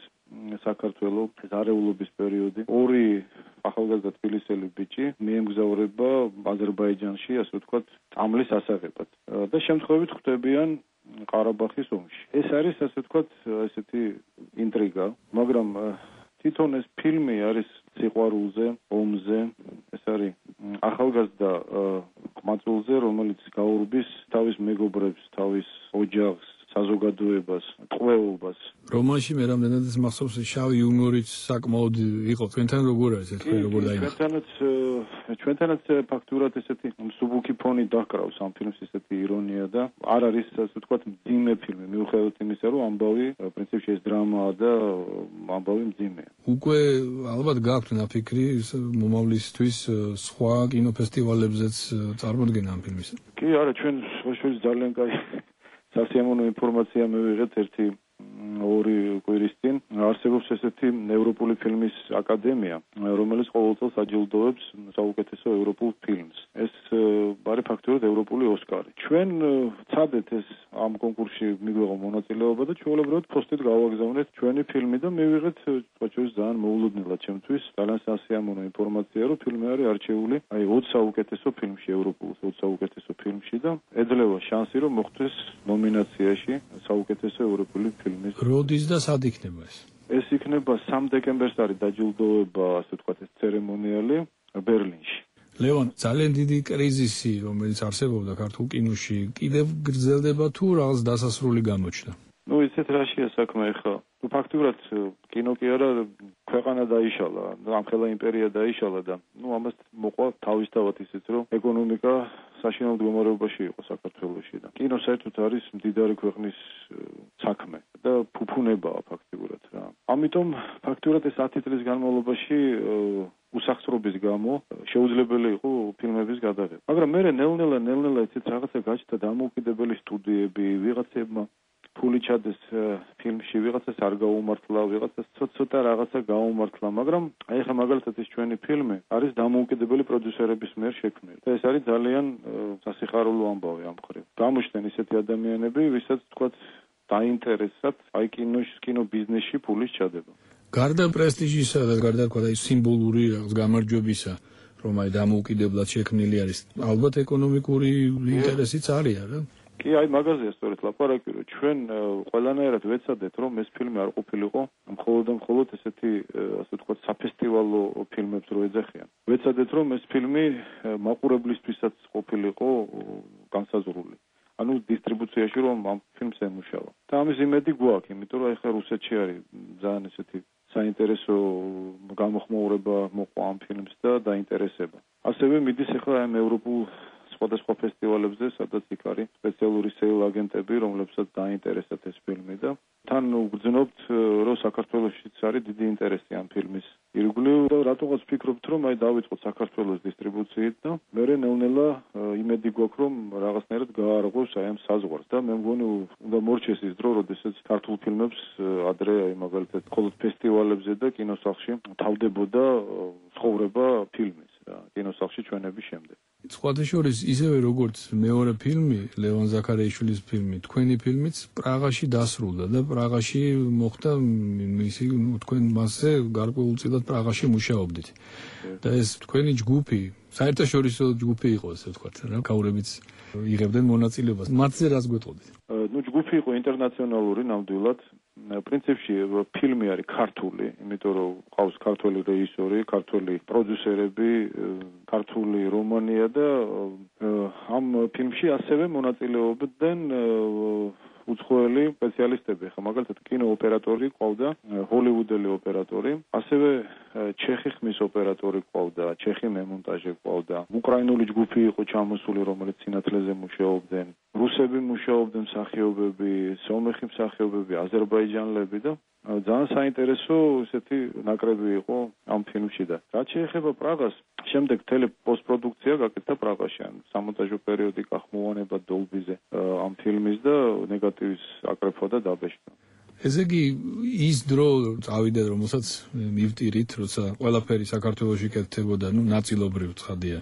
საქართველო, არეულობის პერიოდი. ორი ახალგაზრდა თბილისელი ბიჭი მიემგზავრება აზერბაიჯანში, ასე ვთქვათ, წამლის ასაღებად და შემთხვევით ხვდებიან ყარაბაღის ომში. ეს არის, ასე ვთქვათ, ესეთი ინტრიგა, მაგრამ თვითონ ეს ფილმი არის სიყვარულზე, ომზე, ეს არის ახალგაზრდა ყმაწვილზე, რომელიც გაურბის თავის მეგობრებს, თავის ოჯახს, საზოგადოებას, ტყვეობას. რომანში მე რამდენადაც მახსოვს შავი იუმორიც საკმაოდ იყო. თქვენთან როგორ არის ეს როგორ დაიმახა? ჩვენთანაც ჩვენთანაც ფაქტურად ესეთი მსუბუქი ფონი დაჰკრავს ამ ფილმს, ესეთი ირონია და არ არის ასე ვთქვათ მძიმე ფილმი, მიუხედავად იმისა, რომ ამბავი პრინციპში ეს დრამაა და ამბავი მძიმეა. უკვე ალბათ გაქვთ ნაფიქრი მომავლისთვის სხვა კინოფესტივალებზეც წარმოდგენა ამ ფილმისა? კი, არა, ჩვენ შორის ძალიან კაი სასიამოვნო ინფორმაცია მივიღეთ ერთი ორი კვირის წინ. არსებობს ესეთი ევროპული ფილმის აკადემია, რომელიც ყოველწელს აჯილდოვებს საუკეთესო ევროპულ ფილმს. ეს არის ფაქტურად ევროპული ოსკარი. ჩვენ ვცადეთ ეს ამ კონკურსში მიგვეღო მონაწილეობა და ჩვეულებრივად ფოსტით გავაგზავნეთ ჩვენი ფილმი და მივიღეთ სხვა შორის ძალიან მოულოდნელად ჩემთვის ძალიან სასიამოვნო ინფორმაცია, რომ ფილმი არის არჩეული აი ოცი საუკეთესო ფილმში, ევროპულ ოცი საუკეთესო ფილმში და ეძლევა შანსი, რომ მოხვდეს ნომინაციაში საუკეთესო ევროპული ფილმის. როდის და სად იქნება ეს? ეს იქნება სამი დეკემბერს არის დაჯილდოება, ასე ვთქვათ, ეს ცერემონიალი ბერლინში. ლევან, ძალიან დიდი კრიზისი, რომელიც არსებობდა ქართულ კინოში, კიდევ გრძელდება თუ რაღაც დასასრული გამოჩნდა? ნუ ისეთ რაშია საქმე ახლა. ნუ ფაქტურად კინო კი არა, ქვეყანა დაიშალა, ამხელა იმპერია დაიშალა და ნუ ამას მოყვა თავისთავად ისიც, რომ ეკონომიკა საშინაო მდგომარეობაში იყო საქართველოში და კინო საერთოდ არის მდიდარი ქვეყნის საქმე და ფუფუნებაა ფაქტურად რა. ამიტომ ფაქტურად ეს ათი წლის განმავლობაში უსახსრობის გამო შეუძლებელი იყო ფილმების გადაღება. მაგრამ მე ნელ-ნელა ნელ-ნელა ისეთ რაღაცა გაჩნდა დამოუკიდებელი სტუდიები, ვიღაცებმა ფული ჩადეს ფილმში, ვიღაცას არ გაუმართლა, ვიღაცას ცოტა რაღაცა გაუმართლა, მაგრამ აი ხა მაგალითად ეს ჩვენი ფილმი არის დამოუკიდებელი პროდიუსერების მიერ შექმნილი. და ეს არის ძალიან სასიხარულო ამბავი ამ მხრივ. გამოჩნდნენ ისეთი ადამიანები, ვისაც თქვათ დაინტერესათ აი კინოში, კინო ბიზნესში ფულის ჩადება. გარდა პრესტიჟისა და გარდა თქვა აი სიმბოლური რაღაც გამარჯვებისა, რომ აი დამოუკიდებლად შექმნილი არის, ალბათ ეკონომიკური ინტერესიც არის რა. კი, აი მაგაზეა სწორედ ლაპარაკი, რომ ჩვენ ყველანაირად ვეცადეთ, რომ ეს ფილმი არ ყოფილიყო მხოლოდ და მხოლოდ ესეთი, ასე ვთქვათ, საფესტივალო ფილმებს რო ეძახიან. ვეცადეთ, რომ ეს ფილმი მაყურებლისთვისაც ყოფილიყო განსაზღვრული. ანუ დისტრიბუციაში რომ ამ ფილმს ემუშავა. და ამის იმედი გვაქვს, იმიტომ რომ ახლა რუსეთში არის ძალიან ესეთი საინტერესო გამოხმაურება მოყვა ამ ფილმს და დაინტერესება. ასევე მიდის ახლა ამ ევროპულ სხვადასხვა ფესტივალებზე, სადაც იქ არის სპეციალური სეილ აგენტები, რომლებსაც დაინტერესათ ეს ფილმი და თან ვგრძნობთ, რომ საქართველოშიც არის დიდი ინტერესი ამ ფილმის ირგვლივ და რატოღაც ვფიქრობთ, რომ აი დავიწყოთ საქართველოს დისტრიბუციით და მერე ნელ-ნელა იმედი გვაქვს, რომ რაღაცნაირად გაარღვევს აი ამ საზღვარს და მე მგონი უნდა მორჩეს ის დრო, როდესაც ქართულ ფილმებს ადრე აი მაგალითად მხოლოდ ფესტივალებზე და კინოსახლში თავდებოდა ცხოვრება ფილმის და კინოსახლში ჩვენების შემდეგ. სხვათა შორის ისევე როგორც მეორე ფილმი, ლევან ზაქარიაშვილის ფილმი, თქვენი ფილმიც პრაღაში დასრულდა და პრაღაში მოხდა მისი, ну, თქვენ მასზე გარკვეულწილად პრაღაში მუშაობდით. და ეს თქვენი ჯგუფი, საერთაშორისო ჯგუფი იყო, ასე ვთქვათ, რა, გაურებიც იღებდნენ მონაწილეობას. მათზე რას გვეტყოდით? ну, ჯგუფი იყო ინტერნაციონალური ნამდვილად. პრინციპში ფილმი არის ქართული, იმიტომ რომ ყავს ქართველი რეჟისორი, ქართველი პროდიუსერები, ქართული რომანია და ამ ფილმში ასევე მონაწილეობდნენ უცხოელი სპეციალისტები, ხა მაგალითად კინოოპერატორი ყავდა, ჰოლივუდელი ოპერატორი, ასევე ჩეხი ხმის ოპერატორი ყავდა, ჩეხი მემონტაჟე ყავდა, უკრაინული ჯგუფი იყო ჩამოსული, რომელიც სინათლეზე მუშაობდნენ, რუსები მუშაობდნენ მსახიობები, სომეხი მსახიობები, აზერბაიჯანელები და ძალიან საინტერესო ესეთი ნაკრები იყო ამ ფილმში და რაც შეეხება პრაღას, შემდეგ თელი პოსტპროდუქცია გაკეთდა პრაღაში, ან სამონტაჟო პერიოდი გახმოვანება დოლბიზე ამ ფილმის და ნეგატივის აკრეფვა და დაბეჭდა. ესე იგი ის დრო წავიდა, რომელსაც მივტირით, როცა ყველაფერი საქართველოში კეთდებოდა, ну, ნაწილობრივ ცხადია.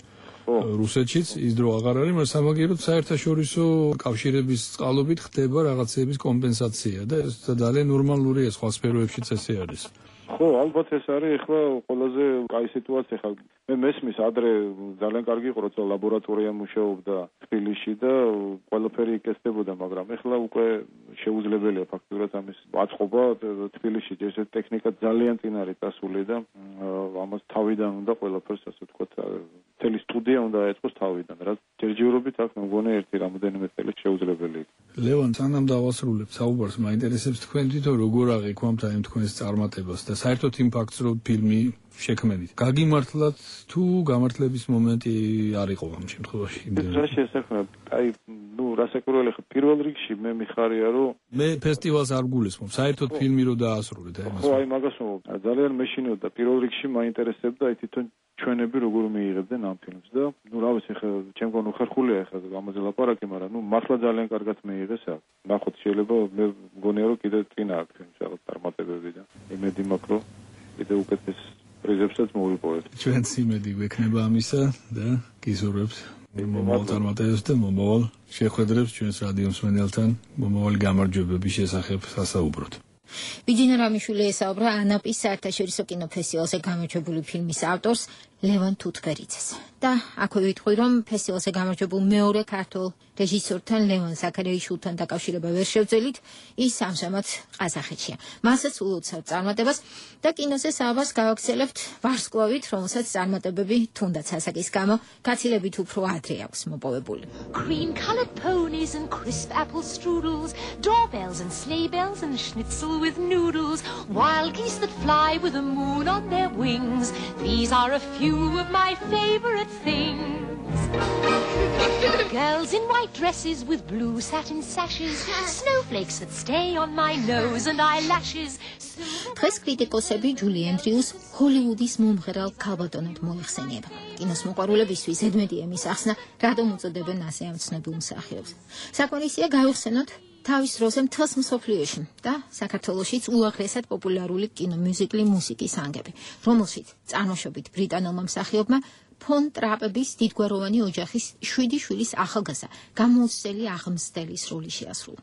რუსეთშიც ის დრო აღარ არის, მაგრამ სამაგიეროდ საერთაშორისო კავშირების წყალობით ხდება რაღაცების კომპენსაცია და ეს ძალიან ნორმალურია სხვა სფეროებშიც ესე არის. ხო, ალბათ ეს არის ახლა ყველაზე კაი სიტუაცია ხა. მე მესმის ადრე ძალიან კარგი იყო, როცა ლაბორატორია მუშაობდა თბილისში და ყველაფერი იკეთდებოდა, მაგრამ ახლა უკვე შეუძლებელია ფაქტურად ამის აწყობა თბილისში. ეს ტექნიკა ძალიან წინ არის წასული და ამას თავიდან უნდა ყველაფერს ასე ვთქვათ, მთელი სტუდია უნდა აეწყოს თავიდან, რაც ჯერჯერობით აქ მე მგონი ერთი რამოდენიმე წელი შეუძლებელი. ლევან, სანამ დავასრულებ საუბარს, მაინტერესებს თქვენ თვითონ როგორ აღიქვამთ აი თქვენს წარმატებას და საერთოდ იმ ფაქტს, რომ ფილმი შექმნით. გაგიმართლათ თუ გამართლების მომენტი არ იყო ამ შემთხვევაში? რა შესაძლოა? აი, ну, რასაკვირველი ხა პირველ რიგში მე მიხარია, რომ მე ფესტივალს არ გულისხმობ, საერთოდ ფილმი რო დაასრულეთ, აი მას. ხო, აი მაგას ვამბობ. ძალიან მეშინოდა პირველ რიგში მაინტერესებდა აი თვითონ ჩვენები როგორ მიიღებდნენ ამ ფილმს და ну, რა ვიცი ხა, ჩემგან უხერხულია ხა ამაზე ლაპარაკი, მაგრამ ну, მართლა ძალიან კარგად მიიღეს აქ. ნახოთ, შეიძლება მე მგონია რომ კიდე წინა აქ ფილმს რაღაც წარმატებები და იმედი მაქვს რომ კიდე უკეთეს პრიზებსაც მოვიპოვეთ. ჩვენც იმედი გვექნება ამისა და გიზურებთ მომავალ წარმატებებს და მომავალ შეხვედრებს ჩვენს რადიო მსმენელთან მომავალი გამარჯვებების შესახებ სასაუბროთ. ბიძინა რამიშვილი ესაუბრა ანაპის საერთაშორისო კინოფესტივალზე გამარჯვებული ფილმის ავტორს ლევან თუთბერიძეს. და აქვე ვიტყვი, რომ ფესტივალზე გამარჯვებულ მეორე ქართულ რეჟისორთან ლევან ზაქარიაშვილთან დაკავშირება ვერ შევძელით, ის ამჟამად ყაზახეთშია. მასაც ულოცავთ წარმატებას და კინოზე საუბარს გავაგრძელებთ ვარსკვლავით, რომელსაც წარმატებები თუნდაც ასაკის გამო გაცილებით უფრო ადრე აქვს მოპოვებული. Cream colored ponies and crisp apple strudels, doorbells and sleigh bells and schnitzel with noodles, wild geese that fly with the moon on their wings. These are a few of my favorite things. Girls in white dresses with blue satin sashes, snowflakes that stay on my nose and eyelashes. დღეს კრიტიკოსები ჯული ენდრიუს ჰოლივუდის მომღერალ ქალბატონად მოიხსენიება. კინოს მოყვარულებისთვის ზედმეტი ემის ახსნა რადომ უწოდებენ ასე ამცნობილ მსახიობს. საკმარისია გავიხსენოთ თავის როლზე მთელს მსოფლიოში და საქართველოშიც უაღრესად პოპულარული კინომიუზიკლი მუსიკის ანგები, რომელშიც წარმოშობით ბრიტანულმა მსახიობმა ფონ ტრაპების დიდგვაროვანი ოჯახის შვიდი შვილის ახალგაზრდა გამოუცდელი აღმზრდელის როლი შეასრულა.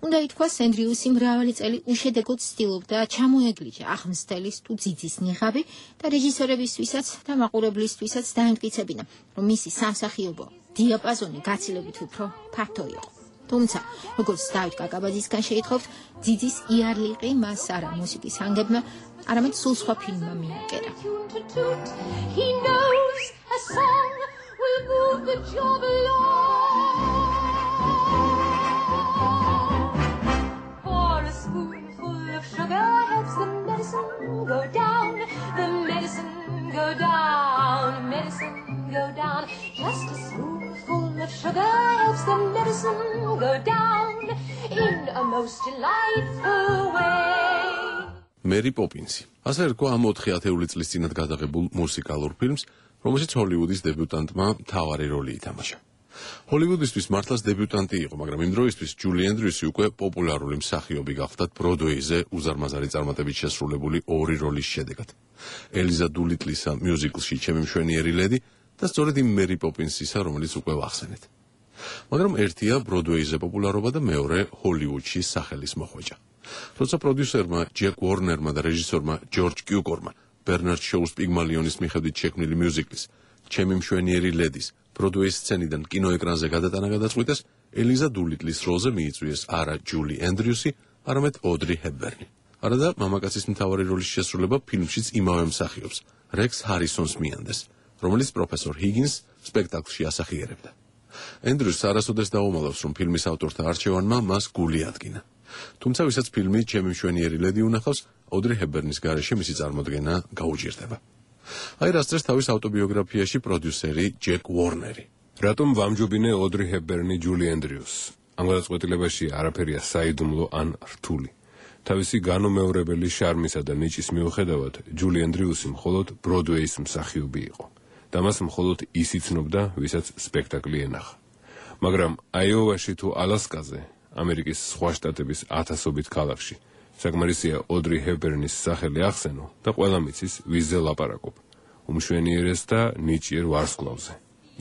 უნდა ითქვას, ენდრიუსი მრავალი წელი უშედეგოდ ცდილობდა ჩამოეგლიჯა აღმზრდელის თუ ძიძის ნიღაბი და რეჟისორებისთვისაც და მაყურებლისთვისაც დაემტკიცებინა, რომ მისი სამსახიობო დიაპაზონი გაცილებით უფრო ფართო იყო. თუმცა, როგორც დავით კაკაბაძისგან შეითხოვთ, ძიძის იარლიყი მას არა მუსიკის ანგებმა, არამედ სულ სხვა ფილმმა მიაკერა. He knows a song will move the job along. For a spoonful of sugar helps the medicine go down, the medicine go down, medicine go down. Just a spoonful sugar helps the medicine go down in a most delightful way. Mary Poppins. ასე რკვა ამ ოთხი ათეული წლის წინათ გადაღებულ მუსიკალურ ფილმს, რომელშიც ჰოლივუდის დებიუტანტმა მთავარი როლი ითამაშა. ჰოლივუდისთვის მართლაც დებიუტანტი იყო, მაგრამ იმ დროისთვის ჯული ენდრიუსი უკვე პოპულარული მსახიობი გახდა ბროდვეიზე უზარმაზარი წარმატებით შესრულებული ორი როლის შედეგად. ელიზა დულიტლისა მიუზიკლში ჩემი მშვენიერი ლედი და სწორედ იმ მერი პოპინსისა, რომელიც უკვე ვახსენეთ. მაგრამ ერთია ბროდვეიზე პოპულარობა და მეორე ჰოლივუდში სახელის მოხვეჭა. როცა პროდიუსერმა ჯეკ უორნერმა და რეჟისორმა ჯორჯ კიუკორმა ბერნარდ შოუს პიგმალიონის მიხედვით შექმნილი მიუზიკლის ჩემი მშვენიერი ლედის ბროდვეის სცენიდან კინოეკრანზე გადატანა გადაწყვიტეს, ელიზა დულიტლის როლზე მიიწვიეს არა ჯული ენდრიუსი, არამედ ოდრი ჰეპბერნი. არა და მამაკაცის მთავარი როლის შესრულება ფილმშიც იმავე მსახიობს, რექს ჰარისონს მიანდეს, რომელიც პროფესორ ჰიგინს სპექტაკლში ასახიერებდა. ენდრიუსს არასოდეს დაუმალავს, რომ ფილმის ავტორთა არჩევანმა მას გული ადგინა. თუმცა ვისაც ფილმი ჩემი მშვენიერი ლედი უნახავს, ოდრი ჰეპბერნის გარეშე მისი წარმოდგენა გაუჭირდება. აი რას წერს თავის ავტობიოგრაფიაში პროდიუსერი ჯეკ უორნერი. რატომ ვამჯობინე ოდრი ჰეპბერნი ჯული ენდრიუსს? ამ გადაწყვეტილებაში არაფერია საიდუმლო ან რთული. თავისი განუმეორებელი შარმისა და ნიჭის მიუხედავად, ჯული ენდრიუსი მხოლოდ ბროდვეის მსახიობი იყო. და მას მხოლოდ ის იცნობდა, ვისაც სპექტაკლი ენახა. მაგრამ აიოვაში თუ ალასკაზე, ამერიკის სხვა შტატების ათასობით ქალაქში, საკმარისია ოდრი ჰეპბერნის სახელი ახსენო და ყველა მიცის ვიზზე ლაპარაკობ. უმშვენიერეს და ნიჭიერ ვარსკვლავზე.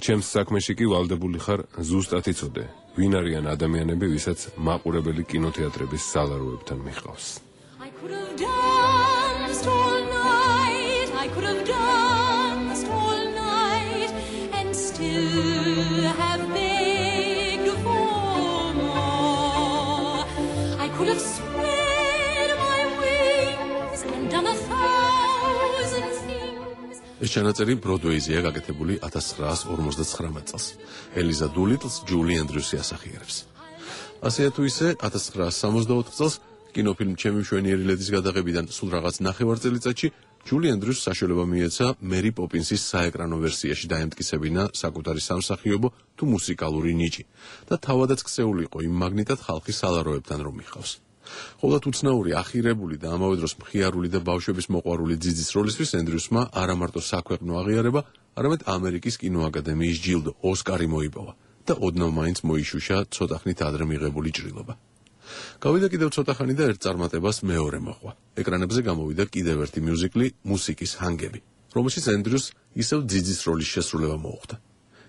ჩემს საქმეში კი ვალდებული ხარ ზუსტად იცოდე, ვინ არიან ადამიანები, ვისაც მაყურებელი კინოთეატრების სალაროებთან მიჰყავს. I could have danced all night, I could have danced all night and still have begged for more. I could have spread my wings and done a thousand things. ეს ჩანაწერი ბროდვეიზეა გაკეთებული ათას ცხრაას ორმოცდაცხრამეტ წელს. ელიზა დულიტლს ჯული ენდრიუსი ასახიერებს. ასეა თუ ისე ათას ცხრაას სამოცდაოთხ წელს კინოფილმ ჩემი მშვენიერი ლედის გადაღებიდან სულ რაღაც ნახევარ წელიწადში ჯული ენდრიუსს საშუალება მიეცა მერი პოპინსის საეკრანო ვერსიაში დაემტკიცებინა საკუთარი სამსახიობო თუ მუსიკალური ნიჭი და თავადაც ქცეულიყო იმ მაგნიტად ხალხის სალაროებთან რომ მიხავს. ყოველთ უცნაური, ახირებული და ამავე დროს მხიარული და ბავშვების მოყვარული ძიძის როლისთვის ენდრიუსმა არა მარტო საქვეყნო აღიარება, არამედ ამერიკის კინოაკადემიის ჯილდო ოსკარი მოიპოვა და ოდნავ მაინც მოიშუშა ცოტა ხნით ადრე მიღებული ჭრილობა. გავიდა კიდევ ცოტა ხანი და ერთ წარმატებას მეორე მოჰყვა. ეკრანებზე გამოვიდა კიდევ ერთი მიუზიკლი მუსიკის ჰანგები, რომელშიც ენდრიუსს ისევ ძიძის როლის შესრულება მოუხდა.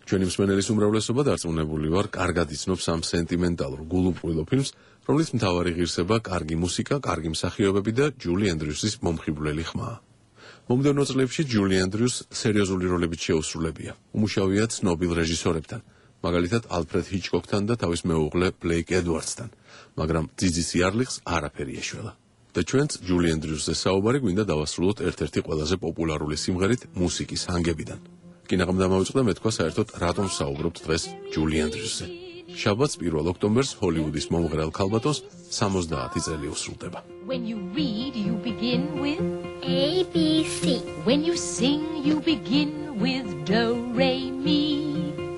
ჩვენი მსმენელის უმრავლესობა დარწმუნებული ვარ, კარგად იცნობს ამ სენტიმენტალურ გულუბრყვილო ფილმს, რომლის მთავარი ღირსება კარგი მუსიკა, კარგი მსახიობები და ჯული ენდრიუსის მომხიბვლელი ხმაა. მომდევნო წლებში ჯული ენდრიუსს სერიოზული როლებით შეუსრულებია. უმუშავია ცნობილ რეჟისორებთან, მაგალითად ალფრედ ჰიჩკოკთან და თავის მეუღლე ბლეიკ ედვარდსთან, მაგრამ ძიძის იარლიხს არაფერი ეშველა. და ჩვენც ჯული ენდრიუსზე საუბარი გვინდა დავასრულოთ ერთ-ერთი ყველაზე პოპულარული სიმღერით მუსიკის ჰანგებიდან. კინაღამ დამავიწყდა მეთქვა საერთოდ რატომ საუბრობთ დღეს ჯული ენდრიუსზე. შაბათს პირველ ოქტომბერს ჰოლივუდის მომღერალ ქალბატონს სამოცდაათი წელი უსრულდება. When you read, you begin with A, B, C. When you sing, you begin with Do, Re, Mi.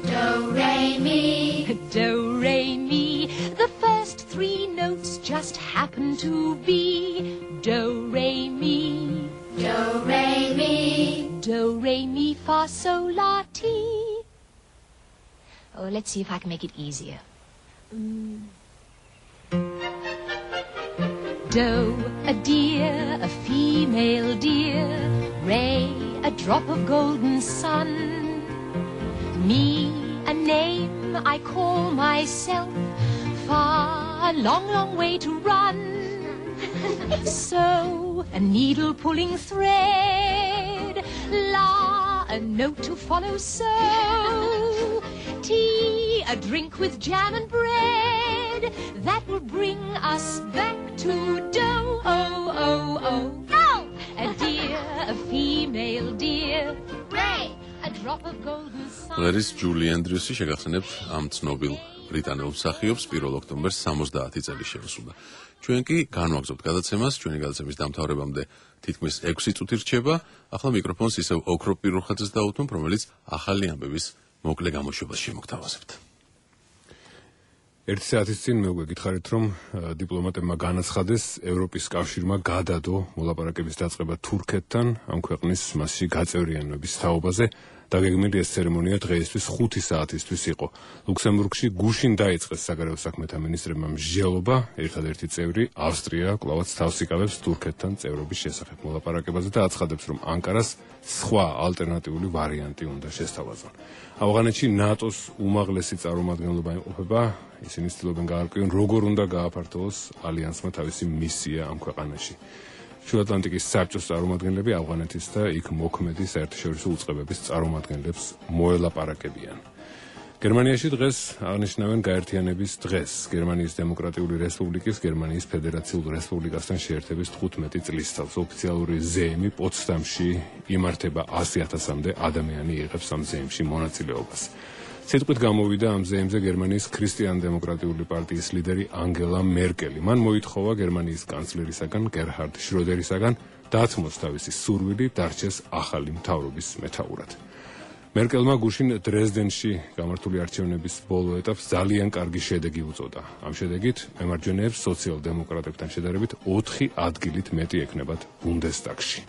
Do, Re, Mi. Do, Re, Mi. The first three notes just happen to be Do, Re, Mi. Do, Re, Mi. Do, Re, Mi, Fa, Sol, La, Ti. Oh, let's see if I can make it easier. Mm. Do, a deer, a female deer. Re, a drop of golden sun. Me, a name I call myself. Fa, a long, long way to run. So, a needle pulling thread. La, a note to follow. So, tea, a drink with jam and bread. That will bring us back to dough. Oh, oh, oh. Go! A deer, a female deer. Ray, a drop of golden sun. ლერის ჯული ენდრიუსი შეგახსენებთ ამ ცნობილ ბრიტანელ მსახიობს პირველ ოქტომბერს სამოცდაათი წელი შეუსრულდა. ჩვენ კი განვაგრძობთ გადაცემას, ჩვენი გადაცემის დამთავრებამდე თითქმის ექვსი წუთი რჩება. ახლა მიკროფონს ისევ ოქროპ პირუხაძეს დავუთმობ, რომელიც ახალი ამბების მოკლე გამოშვებას შემოგთავაზებთ. ერთი საათის წინ მე უკვე გითხარით, რომ დიპლომატებმა განაცხადეს ევროპის კავშირმა გადადო მოლაპარაკების დაწყება თურქეთთან ამ ქვეყნის მასში გაწევრიანების თაობაზე. დაგეგმილი ეს ცერემონია დღეისთვის ხუთი საათისთვის იყო. ლუქსემბურგში გუშინ დაიწყეს საგარეო საქმეთა მინისტრებმა მსჯელობა, ერთადერთი წევრი ავსტრია კვლავაც თავს იკავებს თურქეთთან წევრობის შესახებ მოლაპარაკებაზე და აცხადებს, რომ ანკარას სხვა ალტერნატიული ვარიანტი უნდა შესთავაზონ. ავღანეთში ნატოს უმაღლესი წარმომადგენლობა იმყოფება, ისინი ცდილობენ გაარკვიონ, როგორ უნდა გააფართოვოს ალიანსმა თავისი მისია ამ ქვეყანაში. შუა ატლანტიკის საბჭოს წარმომადგენლები ავღანეთის და იქ მოქმედი საერთაშორისო უწყებების წარმომადგენლებს მოელაპარაკებიან. გერმანიაში დღეს აღნიშნავენ გაერთიანების დღეს, გერმანიის დემოკრატიული რესპუბლიკის გერმანიის ფედერაციულ რესპუბლიკასთან შეერთების თხუთმეტი წლისთავს. ოფიციალური ზეიმი პოცდამში იმართება ასი ათასამდე ადამიანი იღებს ამ ზეიმში მონაწილეობას. სიტყვით გამოვიდა ამ ზეიმზე გერმანიის ქრისტიან-დემოკრატიული პარტიის ლიდერი ანგელა მერკელი. მან მოითხოვა გერმანიის კანცლერისაგან გერჰარდ შროდერისაგან დათმოს თავისი სურვილი დარჩეს ახალი მთავრობის მეთაურად. მერკელმა გუშინ დრეზდენში გამართული არჩევნების ბოლო ეტაპს ძალიან კარგი შედეგი უწოდა. ამ შედეგით მემარჯვენეებს სოციალ-დემოკრატებთან შედარებით ოთხი ადგილით მეტი ექნებათ ბუნდესტაგში.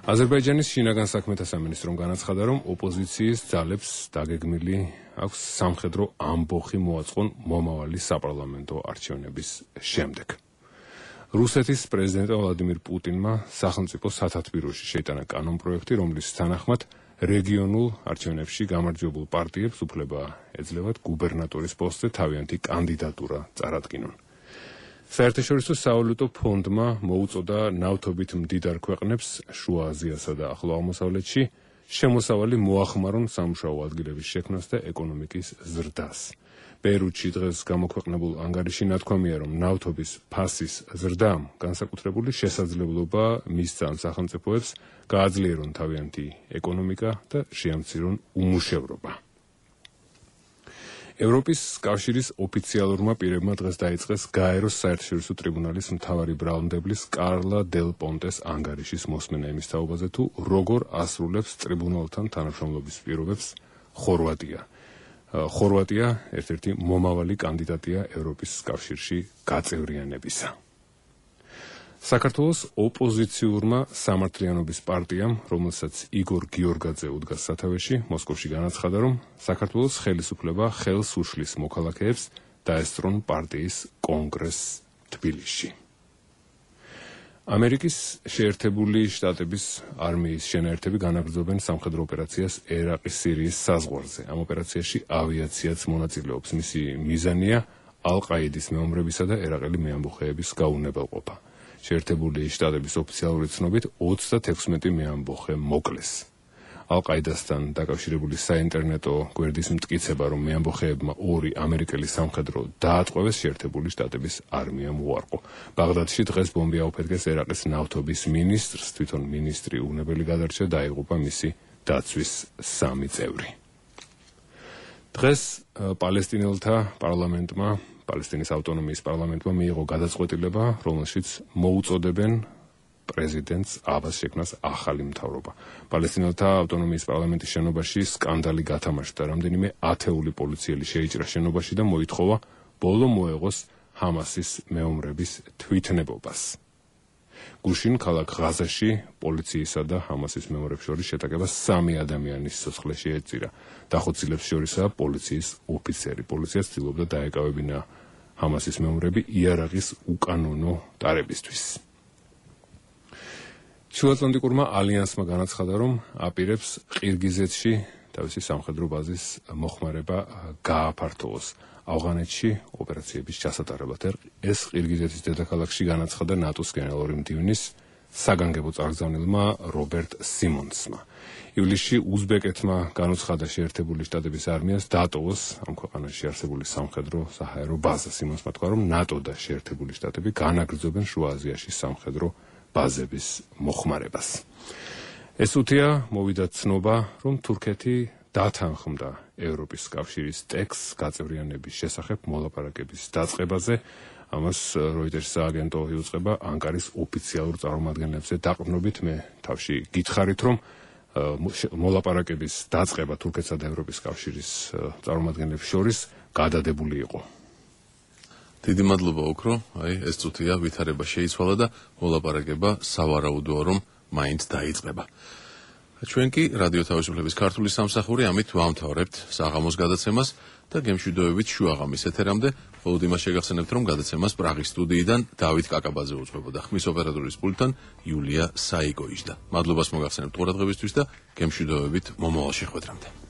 აზერბაიჯანის შინაგან საქმეთა სამინისტრომ განაცხადა, რომ ოპოზიციის ძალებს დაგეგმილი აქვს სამხედრო ამბოხი მოაწყონ მომავალი საპარლამენტო არჩევნების შემდეგ. რუსეთის პრეზიდენტ ვლადიმირ პუტინმა სახელმწიფო სათათბიროში შეიტანა კანონპროექტი, რომლის თანახმად რეგიონულ არჩევნებში გამარჯვებულ პარტიებს უფლება ეძლევათ გუბერნატორის პოსტზე თავიანთი კანდიდატურა წარადგინონ. საერთაშორისო სავალუტო ფონდმა მოუწოდა ნავთობით მდიდარ ქვეყნებს შუა აზიასა და ახლო აღმოსავლეთში შემოსავალი მოახმარონ სამუშაო ადგილების შექმნას და ეკონომიკის ზრდას. ბეირუთში დღეს გამოქვეყნებულ ანგარიში ნათქვამია, რომ ნავთობის ფასის ზრდამ განსაკუთრებული შესაძლებლობა მისცა ამ სახელმწიფოებს გააძლიერონ თავიანთი ეკონომიკა და შეამცირონ უმუშევრობა. ევროპის კავშირის ოფიციალურმა პირებმა დღეს დაიწყეს გაეროს საერთაშორისო ტრიბუნალის მთავარი ბრალმდებლის კარლა დელ პონტეს ანგარიშის მოსმენა იმის თაობაზე, თუ როგორ ასრულებს ტრიბუნალთან თანამშრომლობის პირობებს ხორვატია. ხორვატია ერთ-ერთი მომავალი კანდიდატია ევროპის კავშირში გაწევრიანებისა. საქართველოს ოპოზიციურმა სამართლიანობის პარტიამ, რომელსაც იგორ გიორგაძე უდგას სათავეში, მოსკოვში განაცხადა, რომ საქართველოს ხელისუფლება ხელს უშლის მოქალაქეებს დაესწრონ პარტიის კონგრესს თბილისში. ამერიკის შეერთებული შტატების არმიის შენაერთები განაგრძობენ სამხედრო ოპერაციას ერაყის სირიის საზღვარზე. ამ ოპერაციაში ავიაციაც მონაწილეობს. მისი მიზანია ალ-ყაიდის მეომრებისა და ერაყელი მეამბოხეების გაუნებელყოფა. შეერთებული შტატების ოფიციალური ცნობით ოცდათექვსმეტი მეამბოხე მოკლეს. ალ-ყაიდასთან დაკავშირებული საინტერნეტო გვერდის მტკიცება, რომ მეამბოხეებმა ორი ამერიკელი სამხედრო დაატყვევეს, შეერთებული შტატების არმიამ უარყო. ბაღდადში დღეს ბომბი აუფეთქეს ერაყის ნავთობის მინისტრს, თვითონ მინისტრი უნებელი გადარჩა და დაიღუპა მისი დაცვის სამი წევრი. დღეს პალესტინელთა პარლამენტმა პალესტინის ავტონომიის პარლამენტმა მიიღო გადაწყვეტილება, რომელშიც მოუწოდებენ პრეზიდენტს აბას შექმნას ახალი მთავრობა. პალესტინელთა ავტონომიის პარლამენტის შენობაში სკანდალი გათამაშდა. რამდენიმე ათეული პოლიციელი შეიჭრა შენობაში და მოითხოვა ბოლო მოეღოს ჰამასის მეომრების თვითნებობას. გუშინ ქალაქ ღაზაში პოლიციისა და ჰამასის მეომრებს შორის შეტაკება სამი ადამიანის სიცოცხლეში ეწირა. დახოცილებს შორისაა პოლიციის ოფიცერი. პოლიცია ცდილობდა დაეკავებინა ჰამასის მეომრები იარაღის უკანონო ტარებისთვის. შუაატლანტიკურმა ალიანსმა განაცხადა, რომ აპირებს ყირგიზეთში თავისი სამხედრო ბაზის მოხმარება გააფართოვოს. ავღანეთში ოპერაციების ჩასატარებლად ეს ყირგიზეთის დედაქალაქში განაცხადა ნატოს გენერალური მდივნის საგანგებო წარგზავნილმა რობერტ სიმონსმა. ივლისში უზბეკეთმა განუცხადა შეერთებული შტატების არმიას დატოვოს ამ ქვეყანაში არსებული სამხედრო საჰაერო ბაზა. სიმონსმა თქვა, რომ ნატო და შეერთებული შტატები განაგრძობენ შუა აზიაში სამხედრო ბაზების მოხმარებას. ეს უთია მოვიდა ცნობა, რომ თურქეთი დათანხმდა ევროპის კავშირის ტექსტს გაწევრიანების შესახებ მოლაპარაკების დაწყებაზე. ამას როიტერის აგენტო იუწყება ანკარის ოფიციალურ წარმომადგენლებზე დაყრდნობით. მე თავში გითხარით, რომ მოლაპარაკების დაწყება თურქეთსა და ევროპის კავშირის წარმომადგენლებს შორის გადადებული იყო. დიდი მადლობა ოქრო, აი ეს წუთია ვითარება შეიცვალა და მოლაპარაკება სავარაუდოა რომ მაინც დაიწყება. ჩვენ კი რადიო თავისუფლების ქართული სამსახური ამით ვამთავრებთ საღამოს გადაცემას და გემშვიდობებით შუაღამის ეთერამდე მხოლოდ იმას შეგახსენებთ რომ გადაცემას პრაღის სტუდიიდან დავით კაკაბაძე უძღვებოდა. ხმის ოპერატორის პულტთან იულია საიკო იჯდა. მადლობას მოგახსენებთ ყურადღებისთვის და გემშვიდობებით მომავალ შეხვედრამდე.